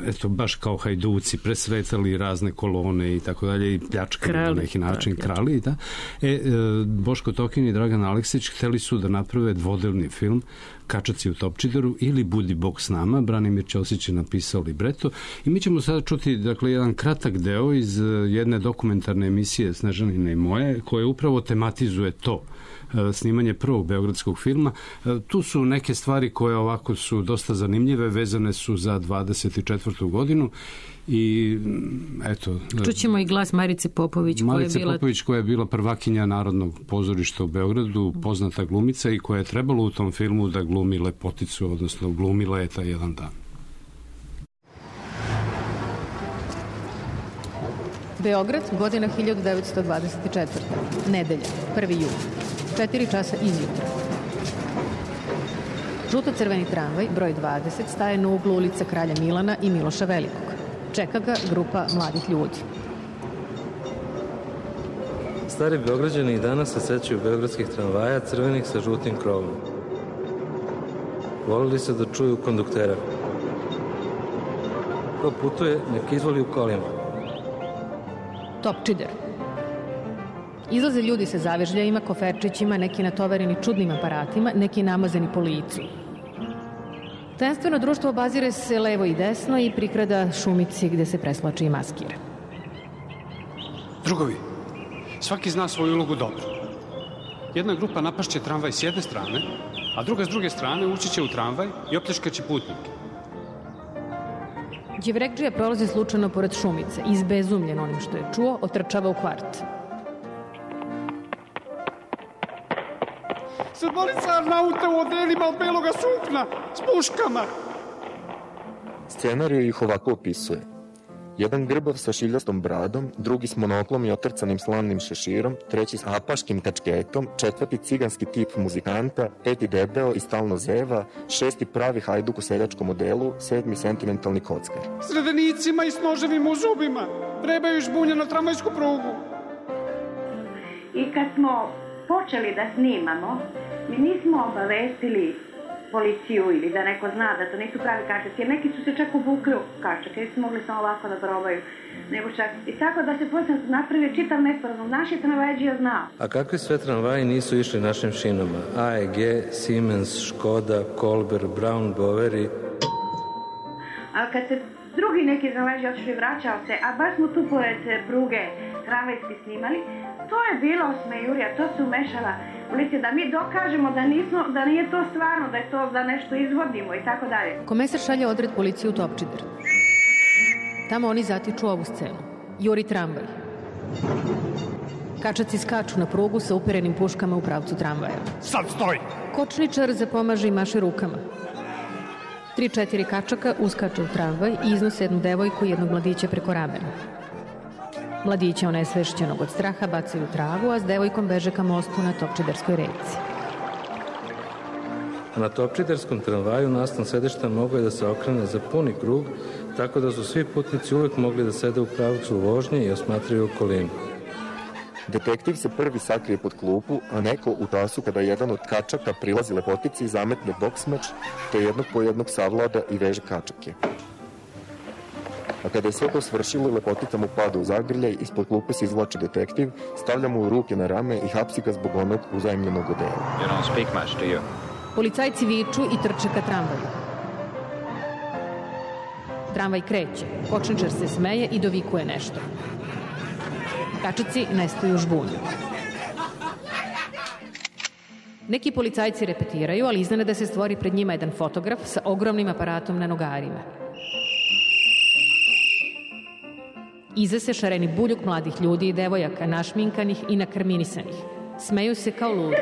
S4: eto, baš kao hajduci, presretali razne kolone i tako dalje i pljačkali na neki način, krali, da. E, Boško Tokin i Dragan Aleksić hteli su da naprave dvodelni film Kačaci u Topčideru ili Budi Bog s nama. Branimir Ćosić je napisao libreto i mi ćemo sada čuti, dakle, jedan kratak deo iz jedne dokumentarne emisije Snežanine i moje, koje upravo tematizuje to, snimanje prvog beogradskog filma. Tu su neke stvari koje ovako su dosta zanimljive, vezane su za dvadeset četvrtu godinu i eto...
S3: Čućemo i glas Marice Popović,
S4: Marice
S3: koja je bila...
S4: Popović, koja je bila prvakinja Narodnog pozorišta u Beogradu, poznata glumica i koja je trebalo u tom filmu da glumi lepoticu, odnosno glumila je taj jedan dan.
S3: Beograd, godina hiljadu devetsto dvadeset četvrta. Nedelja, prvi jul. četiri časa izjutra. Žuto-crveni tramvaj, broj dvadeset, staje na uglu ulica Kralja Milana i Miloša Velikog. Čeka ga grupa mladih ljudi.
S7: Stari Beograđani i danas se sećaju beogradskih tramvaja crvenih sa žutim krovom. Volili se da čuju konduktera. Ko putuje, nek izvoli u kolima.
S3: Topčider. Izlaze ljudi sa zavežljajima, koferčićima, neki natovareni čudnim aparatima, neki namazani po licu. Tajenstveno društvo obazire se levo i desno i prikrada šumici gde se preslači i maskira.
S8: Drugovi, svaki zna svoju ulogu dobro. Jedna grupa napašće tramvaj s jedne strane, a druga s druge strane ući će u tramvaj i opljačkaće putnike.
S3: Đevrekdžija prolazi slučajno pored šumice, izbezumljen onim što je čuo, otrčava u kvart.
S8: Sedmorica naute u odelima od beloga sukna, s puškama.
S9: Scenarij ih ovako opisuje. Jedan grbav sa šiljastom bradom, drugi s monoklom i otrcanim slavnim šeširom, treći s apaškim kačketom, četvrti ciganski tip muzikanta, peti debeo i stalno zeva, šesti pravi hajduk u seljačkom modelu, sedmi sentimentalni kockar.
S8: S redenicima i s noževima u zubima, trebaju žbunje na tramvajsku prugu.
S10: I kad smo počeli da snimamo, mi nismo obavestili policiju ili da neko zna da to nisu pravi kačaci, jer neki su se čak obukli u kačake, jer su mogli samo ovako da probaju, nego čak i tako da se posle napravio čitav nesporazum. Naši tramvajdžija znao.
S7: A kakvi sve tramvaji nisu išli našim šinama? A E G, Siemens, Škoda, Kolber, Brown, Boveri.
S10: A kad se drugi neki tramvajdžija otišli vraćao se, a baš smo tu pored pruge tramvajski snimali, to je bila osmejurija, to se umešala policija, da mi dokažemo da, nismo, da nije to stvarno, da je to da nešto izvodimo i tako dalje.
S3: Komesar šalje odred policiju u Topčider. Tamo oni zatiču ovu scenu. Juri tramvaj. Kačaci skaču na prugu sa uperenim puškama u pravcu tramvaja.
S8: Sad stoj!
S3: Kočničar zapomaže i maše rukama. Tri, četiri kačaka uskače u tramvaj i iznose jednu devojku i jednog mladića preko ramena. Mladića onesvešćenog od straha bacaju u travu, a s devojkom beže ka mostu na Topčiderskoj reci.
S7: Na Topčiderskom tramvaju nastan sedišta mogo je da se okrene za puni krug, tako da su svi putnici uvek mogli da sede u pravcu vožnje i osmatraju okolinu.
S9: Detektiv se prvi sakrije pod klupu, a neko u tasu kada jedan od kačaka prilazi lepotici i zametne boksmeč, to jednog po jednog savlada i veže kačake. A kada je sve to svršilo, lepotica mu pada u zagrljaj, ispod klupe se izvlači detektiv, stavlja mu ruke na rame i hapsi ga zbog onog uzajemljenog odela.
S11: You don't speak much, do you?
S3: Policajci viču i trče ka tramvaju. Tramvaj kreće, kočničar se smeje i dovikuje nešto. Kačaci nestaju u žbunju. Neki policajci repetiraju, ali iznenada da se stvori pred njima jedan fotograf sa ogromnim aparatom na nogarima. Iza se šareni buljuk mladih ljudi i devojaka, našminkanih i nakrminisanih. Smeju se kao ludi.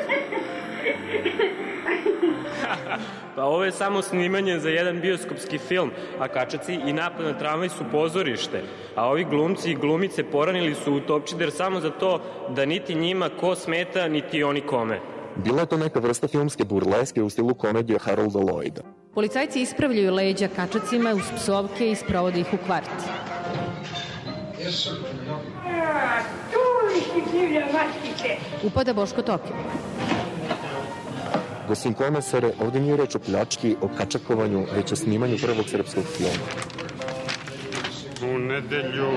S12: Pa ovo je samo snimanje za jedan bioskopski film, a kačaci i napad na tramvaj su pozorište, a ovi glumci i glumice poranili su u Topčider samo za to da niti njima ko smeta, niti oni kome.
S9: Bila je to neka vrsta filmske burleske u stilu komedije Harolda Lloyda.
S3: Policajci ispravljaju leđa kačacima uz psovke i sprovode ih u kvart. Upada Boško Tokio.
S9: Gosim komesare, ovdje nije reč o pljački, o kačakovanju, već o snimanju prvog srpskog filma.
S8: U nedelju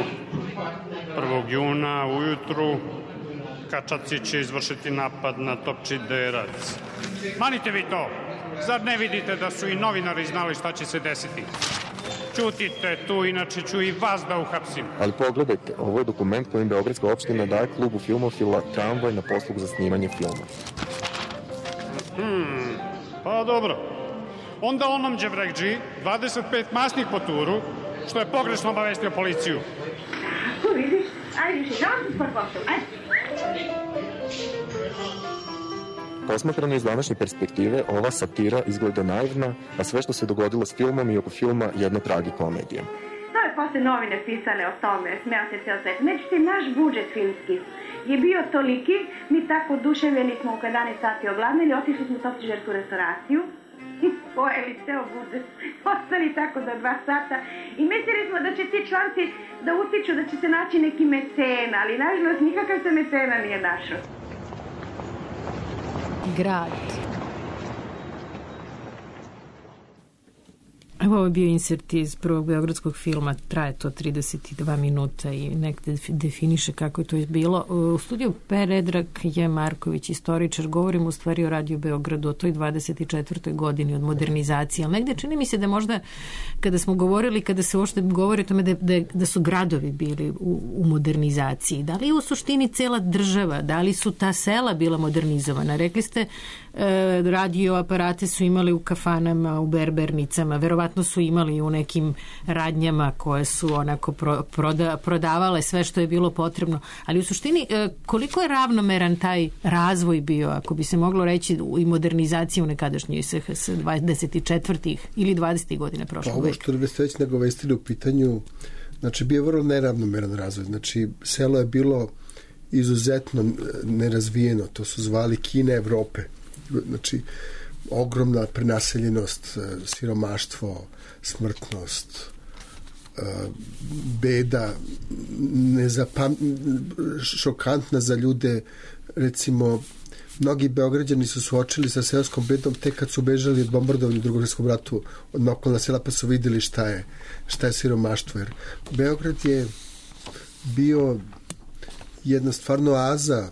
S8: prvog juna ujutru kačaci će izvršiti napad na Topčiderac. Manite vi to! Zar ne vidite da su i novinari znali šta će se desiti? Ćutite tu, inače ću i vas da uhapsim.
S9: Ali pogledajte, ovo je dokument kojim Beogradska opština daje klubu filmofila tramvaj na poslug za snimanje filma.
S8: Hmm, pa dobro. Onda onom đevrekđi dvadeset pet masnih po turu, što je pogrešno obavestio policiju.
S10: Tu vidiš, ajde više, da vam se spod pošao, ajde.
S9: Posmatrano iz današnje perspektive, ova satira izgleda naivna, a sve što se dogodilo s filmom i oko filma jedna tragikomedija.
S10: To je posle novine pisale o tome, smeo se ceo svet. Međutim, naš budžet filmski je bio toliki, mi tako oduševljeni smo oko jedanaest sati ogladnili, otišli smo u Topčidersku restauraciju, pojeli ceo budžet, ostali tako do dva sata i mislili smo da će ti članci da utiču, da će se naći neki mecena, ali nažalost nikakav se mecena nije našao.
S3: Grad. Evo ovo je bio insert iz prvog beogradskog filma, traje to trideset dva minuta i nekde definiše kako je to bilo. U studiju Predrag je Marković, istoričar, govorimo u stvari o Radio Beogradu, o toj dvadeset četvrtoj godini od modernizacije, ali negde čini mi se da možda kada smo govorili, kada se uopšte govori o tome da, da, da su gradovi bili u, u modernizaciji, da li je u suštini cela država, da li su ta sela bila modernizovana? Rekli ste e, radio aparate su imali u kafanama, u berbernicama, verovatno su imali u nekim radnjama koje su onako pro, proda, prodavale sve što je bilo potrebno, ali u suštini koliko je ravnomeran taj razvoj bio, ako bi se moglo reći, i modernizacije u nekadašnjoj s dvadeset četvrtih ili dvadesetih godina prošlog veka?
S6: Ovo što bi ste već nagovestili u pitanju, znači bio je vrlo neravnomeran razvoj, znači selo je bilo izuzetno nerazvijeno, to su zvali Kina Evrope, znači ogromna prenaseljenost, siromaštvo, smrtnost, beda, nezapam... šokantna za ljude, recimo mnogi Beograđani su suočili sa seoskom bedom tek kad su bežali od bombardovanja u Drugom svjetskom ratu od okolna sela, pa su vidjeli šta je, šta je siromaštvo. Jer Beograd je bio jedna stvarno oaza e,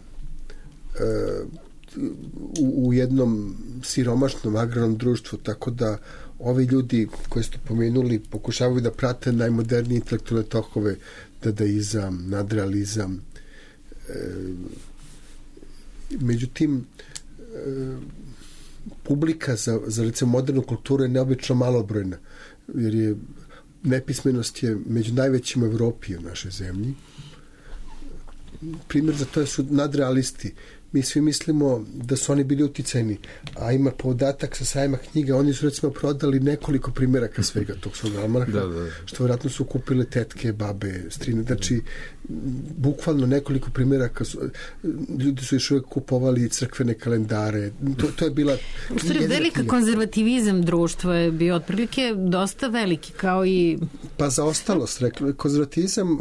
S6: u, u jednom siromašnom agrarnom društvu, tako da ovi ljudi koji ste pomenuli pokušavaju da prate najmodernije intelektualne tokove, dadaizam, nadrealizam. E, međutim, e, publika za, za recimo modernu kulturu je neobično malobrojna, jer je nepismenost je među najvećim u Evropi u našoj zemlji. Primjer za to su nadrealisti. Mi svi mislimo da su oni bili uticajni, a ima podatak sa sajma knjiga, oni su recimo prodali nekoliko primjeraka svega tog svog almanaha, da, da. Što vjerojatno su kupile tetke, babe, strine, znači bukvalno nekoliko primjeraka su, ljudi su još uvijek kupovali crkvene kalendare, to, to je bila
S3: velika knjiga. Konzervativizam društva je bio otprilike dosta veliki, kao i
S6: pa zaostalost, rekli, konzervativizam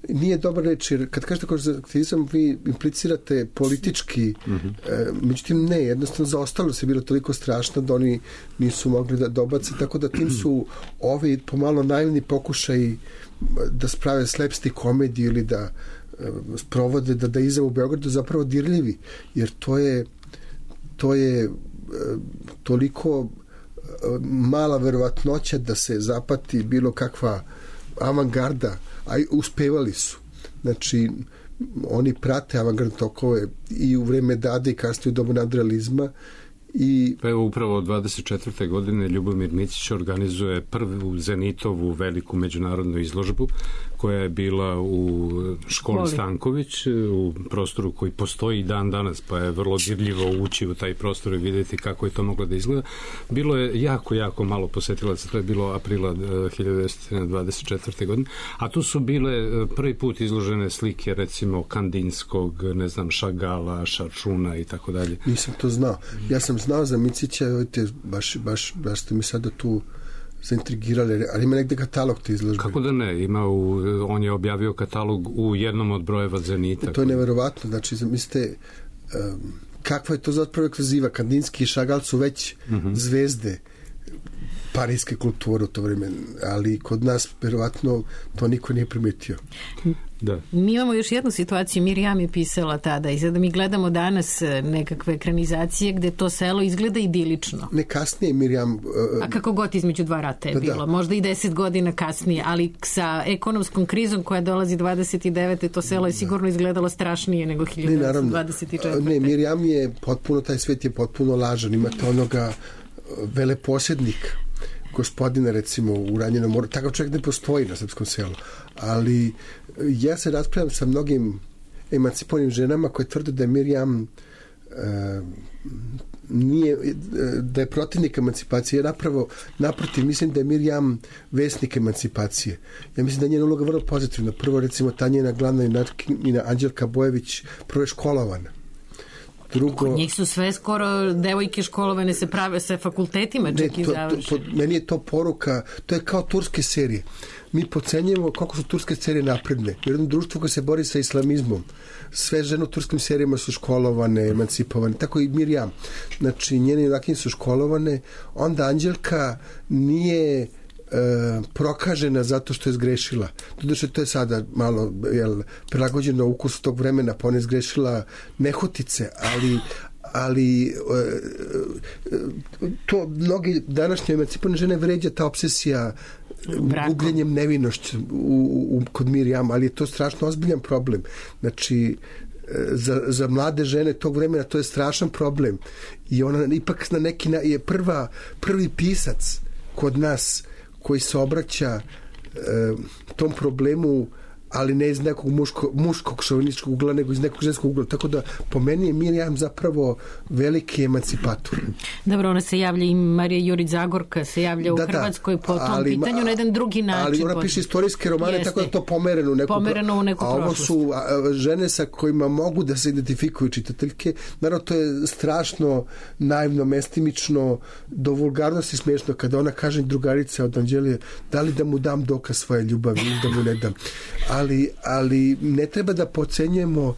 S6: nije dobar reč, jer kad kažete konzervativizam vi implicirate politički, mm-hmm. e, međutim ne, jednostavno zaostalost je bilo toliko strašno da oni nisu mogli da dobace, tako da tim su ovi pomalo naivni pokušaj da sprave slapstick komediju ili da e, sprovode da da izam u Beogradu zapravo dirljivi, jer to je to je e, toliko e, mala verovatnoća da se zapati bilo kakva avangarda, a uspevali su. Znači, oni prate avangardne tokove i u vreme Dade i kasnije u dobu nadrealizma. I
S4: pa evo upravo dvadeset četvrte godine Ljubomir Micić organizuje prvu Zenitovu veliku međunarodnu izložbu koja je bila u školi Voli. Stanković, u prostoru koji postoji dan danas, pa je vrlo dirljivo ući u taj prostor i vidjeti kako je to moglo da izgleda. Bilo je jako, jako malo posetilaca, to je bilo aprila hiljadu devetsto dvadeset četvrte godine, a tu su bile prvi put izložene slike recimo Kandinskog, ne znam, Šagala, Šaršuna i tako dalje.
S6: Nisam to znao. Ja sam znao za Micića, baš, baš, baš ste mi sada tu zaintrigirali, ali ima negde katalog te izložbe.
S4: Kako da ne, ima u, on je objavio katalog u jednom od brojeva Zenita.
S6: To je neverovatno, znači mislite um, kakva je to zapravo ekskluziva, Kandinski i Šagal su već uh-huh. zvezde parijske kulture u to vreme, ali kod nas verovatno to niko nije primetio.
S4: Da.
S3: Mi imamo još jednu situaciju, Mirjam je pisala tada i sada mi gledamo danas nekakve ekranizacije gde to selo izgleda idilično.
S6: Ne, kasnije Mirjam... Uh,
S3: A kako god između dva rata je
S6: da,
S3: bilo,
S6: da.
S3: možda i deset godina kasnije, ali sa ekonomskom krizom koja dolazi dvadeset devete to selo je sigurno izgledalo strašnije nego hiljadu devetsto dvadeset četvrte.
S6: Ne, Mirjam je potpuno, taj svet je potpuno lažan, imate onoga veleposjednika gospodina recimo u Ranjenom moru, takav čovjek ne postoji na srpskom selu, ali ja se raspravljam sa mnogim emancipovanim ženama koje tvrde da je Mirjam e, nije, da je protivnik emancipacije. Ja napravo, naprotiv, mislim da je Mirjam vesnik emancipacije. Ja mislim da je njena uloga vrlo pozitivna. Prvo, recimo, ta njena glavna junakinja Anđelka Bojević prvo je školovana. Drugo,
S3: kod njih su sve skoro devojke školovane se prave sa fakultetima čak
S6: ne,
S3: i
S6: to,
S3: završe.
S6: To, meni je to poruka, to je kao turske serije. Mi podcenjujemo koliko su turske serije napredne. U jednom društvu koje se bori sa islamizmom, sve žene u turskim serijama su školovane, emancipovane, tako i Mirjam. Znači, njene junakinje su školovane, onda Anđelka nije E, prokažena zato što je zgrešila. Doduše, to je sada malo jel, prilagođeno ukusu tog vremena, pa ona je zgrešila nehotice, ali ali to mnogi današnje emancipovane žene vređa ta obsesija gubljenjem nevinošću u, u, kod Mirjam, ali je to strašno ozbiljan problem. Znači, za, za mlade žene tog vremena to je strašan problem i ona ipak na neki na, je prva, prvi pisac kod nas koji se obraća e, tom problemu, ali ne iz nekog muško, muškog šovinističkog ugla, nego iz nekog ženskog ugla. Tako da, po meni je Mirjam zapravo veliki emancipator.
S3: Dobro, ona se javlja i Marija Jurić Zagorka se javlja u da, Hrvatskoj po tom ali, pitanju na jedan drugi način.
S6: Ali ona piše istorijske romane, jeste, tako da to pomereno u neku,
S3: pomereno u neku
S6: a ovo su a, žene sa kojima mogu da se identifikuju čitateljke. Naravno, to je strašno naivno, mestimično, do vulgarnosti smiješno kada ona kaže drugarica od Anđelije, da li da mu dam dokaz svoje ljubavi ili da mu ne dam. ali, ali ne treba da pocenjujemo uh,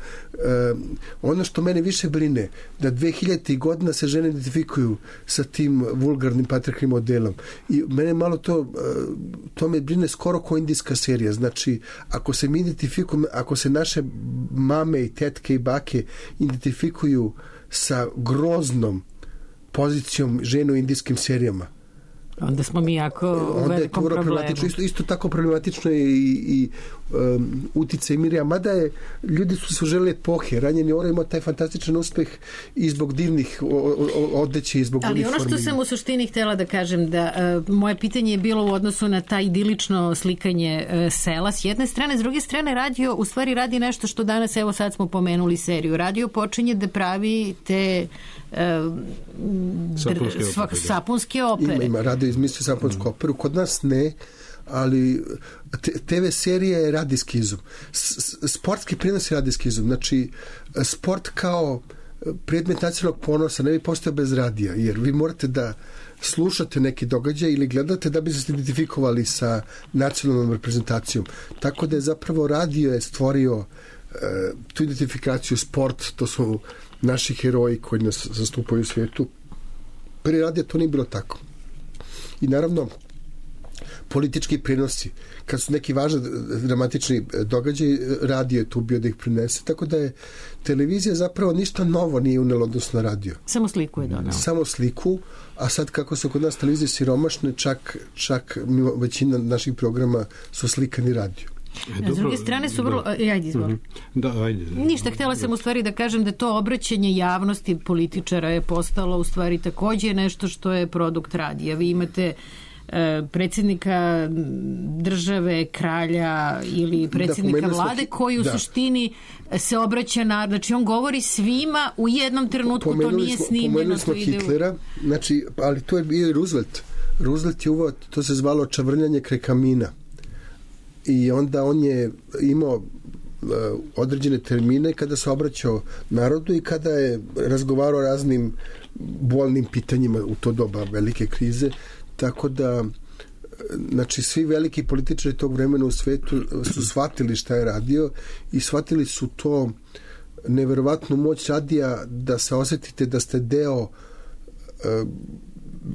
S6: ono što mene više brine, da dve hiljadite godina se žene identifikuju sa tim vulgarnim patriarhalnim modelom. I mene malo to, uh, to me brine skoro kao indijska serija. Znači, ako se mi identifikujemo, ako se naše mame i tetke i bake identifikuju sa groznom pozicijom žene u indijskim serijama,
S3: onda smo mi jako u velikom problemu.
S6: Isto, isto tako problematično je i, i um, uticaj Mirija, mada je, ljudi su se žele epohe, Ranjeni Oro imao taj fantastičan uspeh i zbog divnih odeće i zbog
S3: ali
S6: uniformi.
S3: Ono što sam u suštini htjela da kažem, da uh, moje pitanje je bilo u odnosu na taj idilično slikanje uh, sela s jedne strane, s druge strane radio u stvari radi nešto što danas, evo sad smo pomenuli seriju, radio počinje da pravi te uh,
S4: sapunske,
S3: dr, opere. sapunske opere.
S6: Ima, ima radio izmislio sapunsku mm. operu, kod nas ne, ali te ve serija je radijski izum. Sportski prenos je radijski izum. Znači, sport kao predmet nacionalnog ponosa ne bi postao bez radija, jer vi morate da slušate neki događaj ili gledate da bi se identifikovali sa nacionalnom reprezentacijom. Tako da je zapravo radio je stvorio uh, tu identifikaciju, sport, to su naši heroji koji nas zastupaju u svijetu. Prije radija to nije bilo tako. I naravno, politički prenosi, kad su neki važni dramatični događaji, radio je tu bio da ih prinese, tako da je televizija zapravo ništa novo nije unela odnosno na radio.
S3: Samo sliku je donela.
S6: Samo sliku, a sad kako su kod nas televizije siromašne, čak, čak većina naših programa su slikani radio.
S3: E, S druge strane su vrlo... Da. Ajde, izvoli.
S4: Da, ajde.
S3: Ništa, htjela sam u stvari da kažem da to obraćanje javnosti političara je postalo u stvari također nešto što je produkt radija. Vi imate predsjednika države, kralja ili predsjednika da, vlade koji u da. suštini se obraća na... Znači, on govori svima u jednom trenutku, pomenuli to nije smo, snimljeno.
S6: Pomenuli smo Hitlera, u... znači, ali to je bio Roosevelt. Roosevelt je uvod, to se zvalo čavrljanje kraj kamina. I onda on je imao uh, određene termine kada se obraćao narodu i kada je razgovarao o raznim bolnim pitanjima u to doba velike krize. Tako da, znači, svi veliki političari tog vremena u svetu su shvatili šta je radio i shvatili su to neverovatnu moć radija da se osjetite da ste deo uh,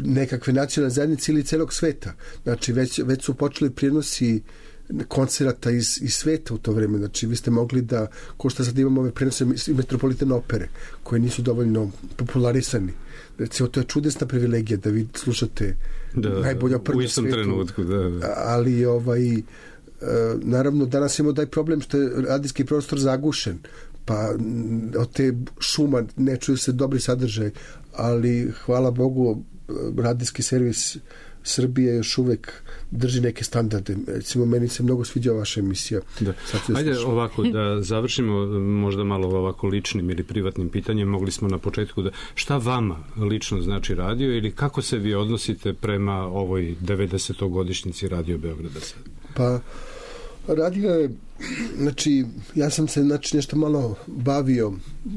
S6: nekakve nacionalne zajednice ili celog sveta. Znači, već, već su počeli prenosi koncerata iz, iz sveta u to vreme. Znači, vi ste mogli da, ko što sad imamo ove prenose i metropolitane opere, koje nisu dovoljno popularisani. Recimo, to je čudesna privilegija da vi slušate da, najbolja operu na svijetu.
S4: Trenutku, da, da.
S6: Ali, ovaj, naravno, danas imamo taj problem što je radijski prostor zagušen, pa od te šuma ne čuju se dobri sadržaj, ali, hvala Bogu, radijski servis Srbije još uvek drži neke standarde. Recimo, meni se mnogo sviđa vaša emisija.
S4: Da. Ajde ovako da završimo možda malo ovako ličnim ili privatnim pitanjem. Mogli smo na početku da... Šta vama lično znači radio ili kako se vi odnosite prema ovoj devedesetogodišnjici Radio Beograda sad?
S6: Pa, radio je... Znači, ja sam se znači, nešto malo bavio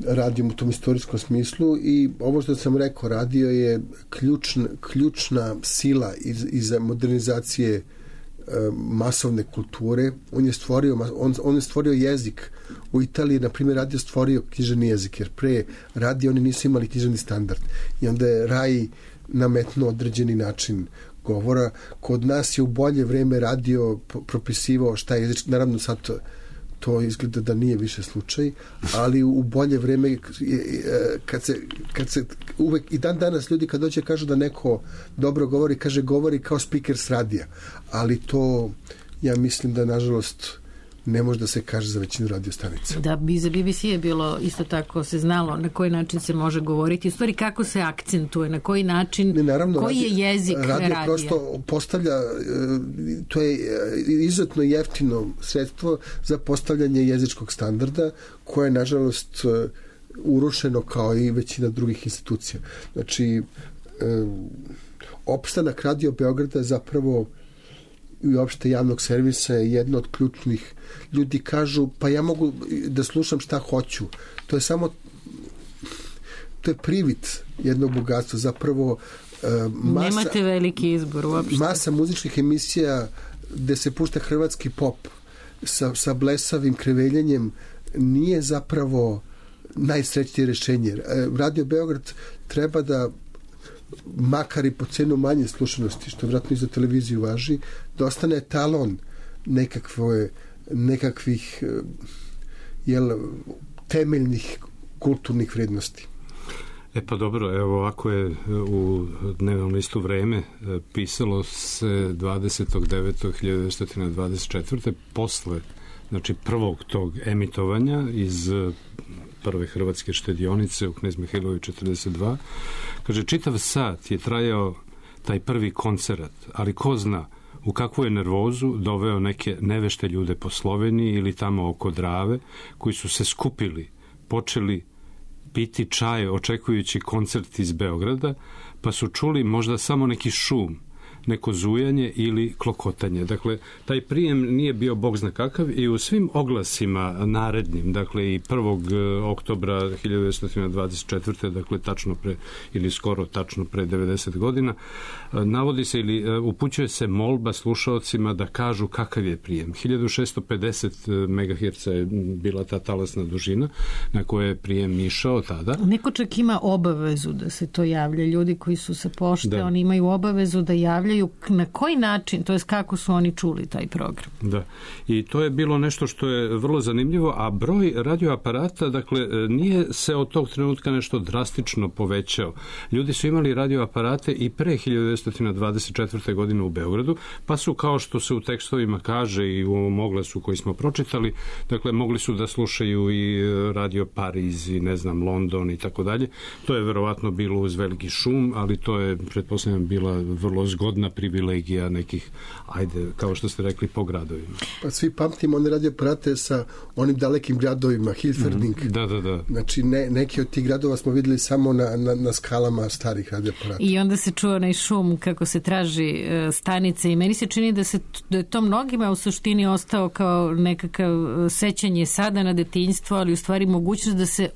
S6: radijom u tom istorijskom smislu i ovo što sam rekao, radio je ključna, ključna sila iz, iz modernizacije e, masovne kulture. On je stvorio, on, on je stvorio jezik. U Italiji, na primjer, radio stvorio književni jezik, jer pre radio oni nisu imali književni standard. I onda je Rai nametnuo određeni način govora. Kod nas je u bolje vreme radio propisivao šta je jezički, naravno sad to, to izgleda da nije više slučaj, ali u bolje vreme kad se, kad se uvek i dan danas ljudi kad dođe kažu da neko dobro govori, kaže govori kao speaker s radija, ali to ja mislim da nažalost ne može da se kaže za većinu radio stanica.
S3: Da, bi za B B C je bilo isto tako se znalo na koji način se može govoriti, u stvari kako se akcentuje, na koji način, ne, naravno, koji radio, je jezik radio radija. Radio
S6: prosto postavlja, to je izuzetno jeftino sredstvo za postavljanje jezičkog standarda, koje je nažalost urušeno kao i većina drugih institucija. Znači, opstanak Radio Beograda je zapravo i uopšte javnog servisa je jedno od ključnih. Ljudi kažu, pa ja mogu da slušam šta hoću. To je samo to je privid jednog bogatstva. Zapravo uh, masa,
S3: nemate veliki izbor uopšte.
S6: Masa muzičkih emisija gde se pušta hrvatski pop sa, sa blesavim kreveljenjem nije zapravo najsrećnije rešenje. Radio Beograd treba da makar i po cenu manje slušanosti, što vjerojatno i za televiziju važi, da ostane talon nekakve, nekakvih jel, temeljnih kulturnih vrednosti.
S4: E pa dobro, evo ovako je u dnevnom listu Vreme pisalo se dvadesetog devetog hiljadu devetsto dvadeset četvrte posle, znači prvog tog emitovanja iz prve hrvatske štedionice u Knez Mihajlovi četrdeset dva. Kaže, čitav sat je trajao taj prvi koncert, ali ko zna u kakvu je nervozu doveo neke nevešte ljude po Sloveniji ili tamo oko Drave, koji su se skupili, počeli piti čaj očekujući koncert iz Beograda, pa su čuli možda samo neki šum, neko zujanje ili klokotanje. Dakle, taj prijem nije bio bog zna kakav i u svim oglasima narednim, dakle i prvog oktobra hiljadu devetsto dvadeset četvrte. dakle tačno pre, ili skoro tačno pre devedeset godina, navodi se ili upućuje se molba slušaocima da kažu kakav je prijem. hiljadu šessto pedeset megaherca je bila ta talasna dužina na koje je prijem išao tada.
S3: Neko čak ima obavezu da se to javlja. Ljudi koji su sa pošte,
S4: da.
S3: Oni imaju obavezu da javljaju na koji način, to jest kako su oni čuli taj program.
S4: Da, i to je bilo nešto što je vrlo zanimljivo, a broj radioaparata, dakle, nije se od tog trenutka nešto drastično povećao. Ljudi su imali radioaparate i pre hiljadu devetsto dvadeset četvrte. godine u Beogradu, pa su, kao što se u tekstovima kaže i u ovom oglasu koji smo pročitali, dakle, mogli su da slušaju i radio Pariz i ne znam, London i tako dalje. To je verovatno bilo uz veliki šum, ali to je, pretpostavljam, bila vrlo zgodna privilegija nekih, ajde, kao što ste rekli, po gradovima.
S6: Pa svi pamtimo one radioaparate sa onim dalekim gradovima, Hilferding.
S4: Mm, da, da, da.
S6: Znači, ne, neki od tih gradova smo videli samo na, na, na skalama starih radioaparata.
S3: I onda se čuo onaj šum kako se traži uh, stanice i meni se čini da se da je to mnogima u suštini ostao kao nekakav sećanje sada na detinjstvo, ali u stvari mogućnost da se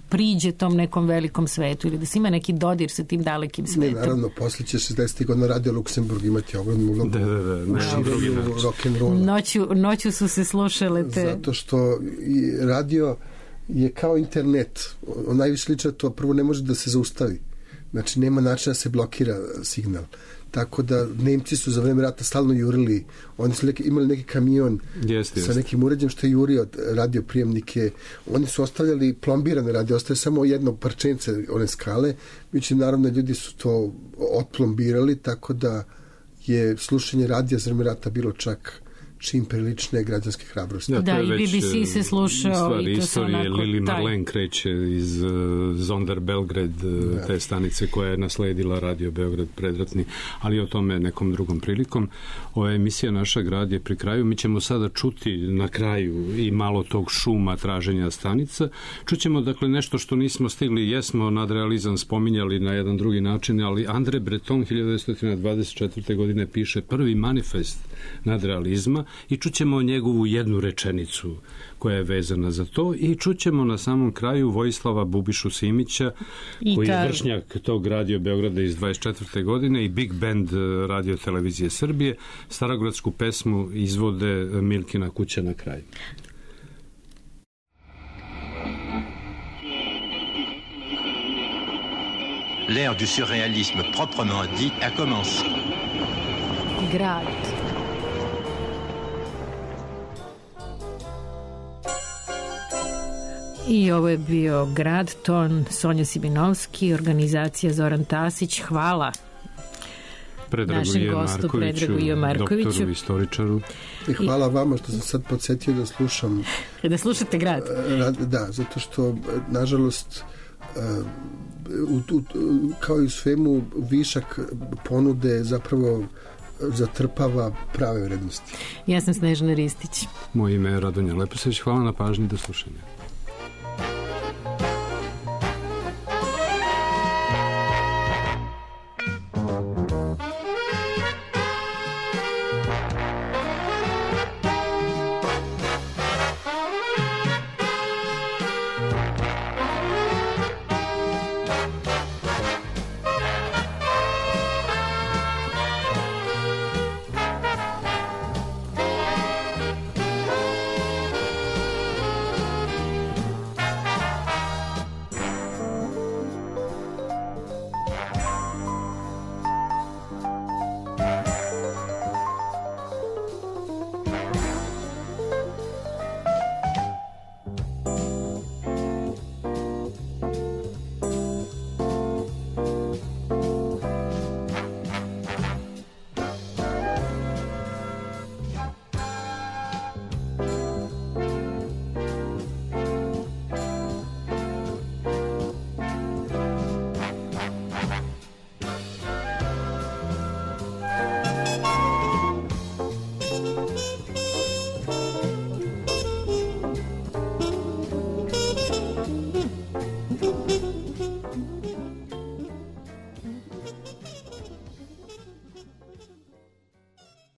S3: priđe tom nekom velikom svetu ili da se ima neki dodir sa tim dalekim svetom.
S6: Ne, naravno, posle će šezdesetih godina Radio Luksemburg imati ogromnu ulogu.
S4: Da, da, da.
S6: Rock'n'rolla.
S3: Noću, noću su se slušale te...
S6: Zato što i radio je kao internet. On najviše liče to, prvo ne može da se zaustavi. Znači, nema načina da se blokira signal. Tako da Nemci su za vreme rata stalno jurili. Oni su neki, imali neki kamion
S4: jest, jest.
S6: sa nekim uređajem što je jurio radioprijemnike. Oni su ostavljali plombirane radio, ostaje samo jedno parčence one skale. Međutim, naravno, ljudi su to otplombirali, tako da je slušanje radija za vreme rata bilo čak čim prilične građanske hrabrosti.
S3: Da, da i B B C se slušao.
S4: Stvari,
S3: i to
S4: istorije
S3: onako,
S4: Lili
S3: taj.
S4: Marlen kreće iz uh, Zonder Belgrad, uh, te stanice koja je nasledila Radio Beograd predratni, ali o tome nekom drugom prilikom. Ova emisija Naša grad je pri kraju. Mi ćemo sada čuti na kraju i malo tog šuma traženja stanica. Čućemo, dakle, nešto što nismo stigli, jesmo nadrealizam spominjali na jedan drugi način, ali Andre Breton hiljadu devetsto dvadeset četvrte. godine piše prvi manifest nadrealizma i čućemo njegovu jednu rečenicu koja je vezana za to i čućemo na samom kraju Vojislava Bubišu Simića I koji je vršnjak tog Radio Beograda iz dvadeset četvrte. godine i Big Band Radio Televizije Srbije. Starogradsku pesmu izvode Milkina kuća na kraju.
S11: L'ère du surréalisme proprement dit a commencé.
S3: Grad. I ovo je bio Grad, ton Sonja Sibinovski, organizacija Zoran Tasić. Hvala našem gostu Predragu J. Markoviću,
S4: doktoru, istoričaru.
S6: I hvala vama što sam sad podsjetio da slušam.
S3: Da slušate Grad.
S6: Da, zato što, nažalost, u, u, kao i u svemu, višak ponude zapravo zatrpava prave vrednosti.
S3: Ja sam Snežana Ristić.
S4: Moje ime je Radonja Leposević. Hvala na pažnji, do slušanja.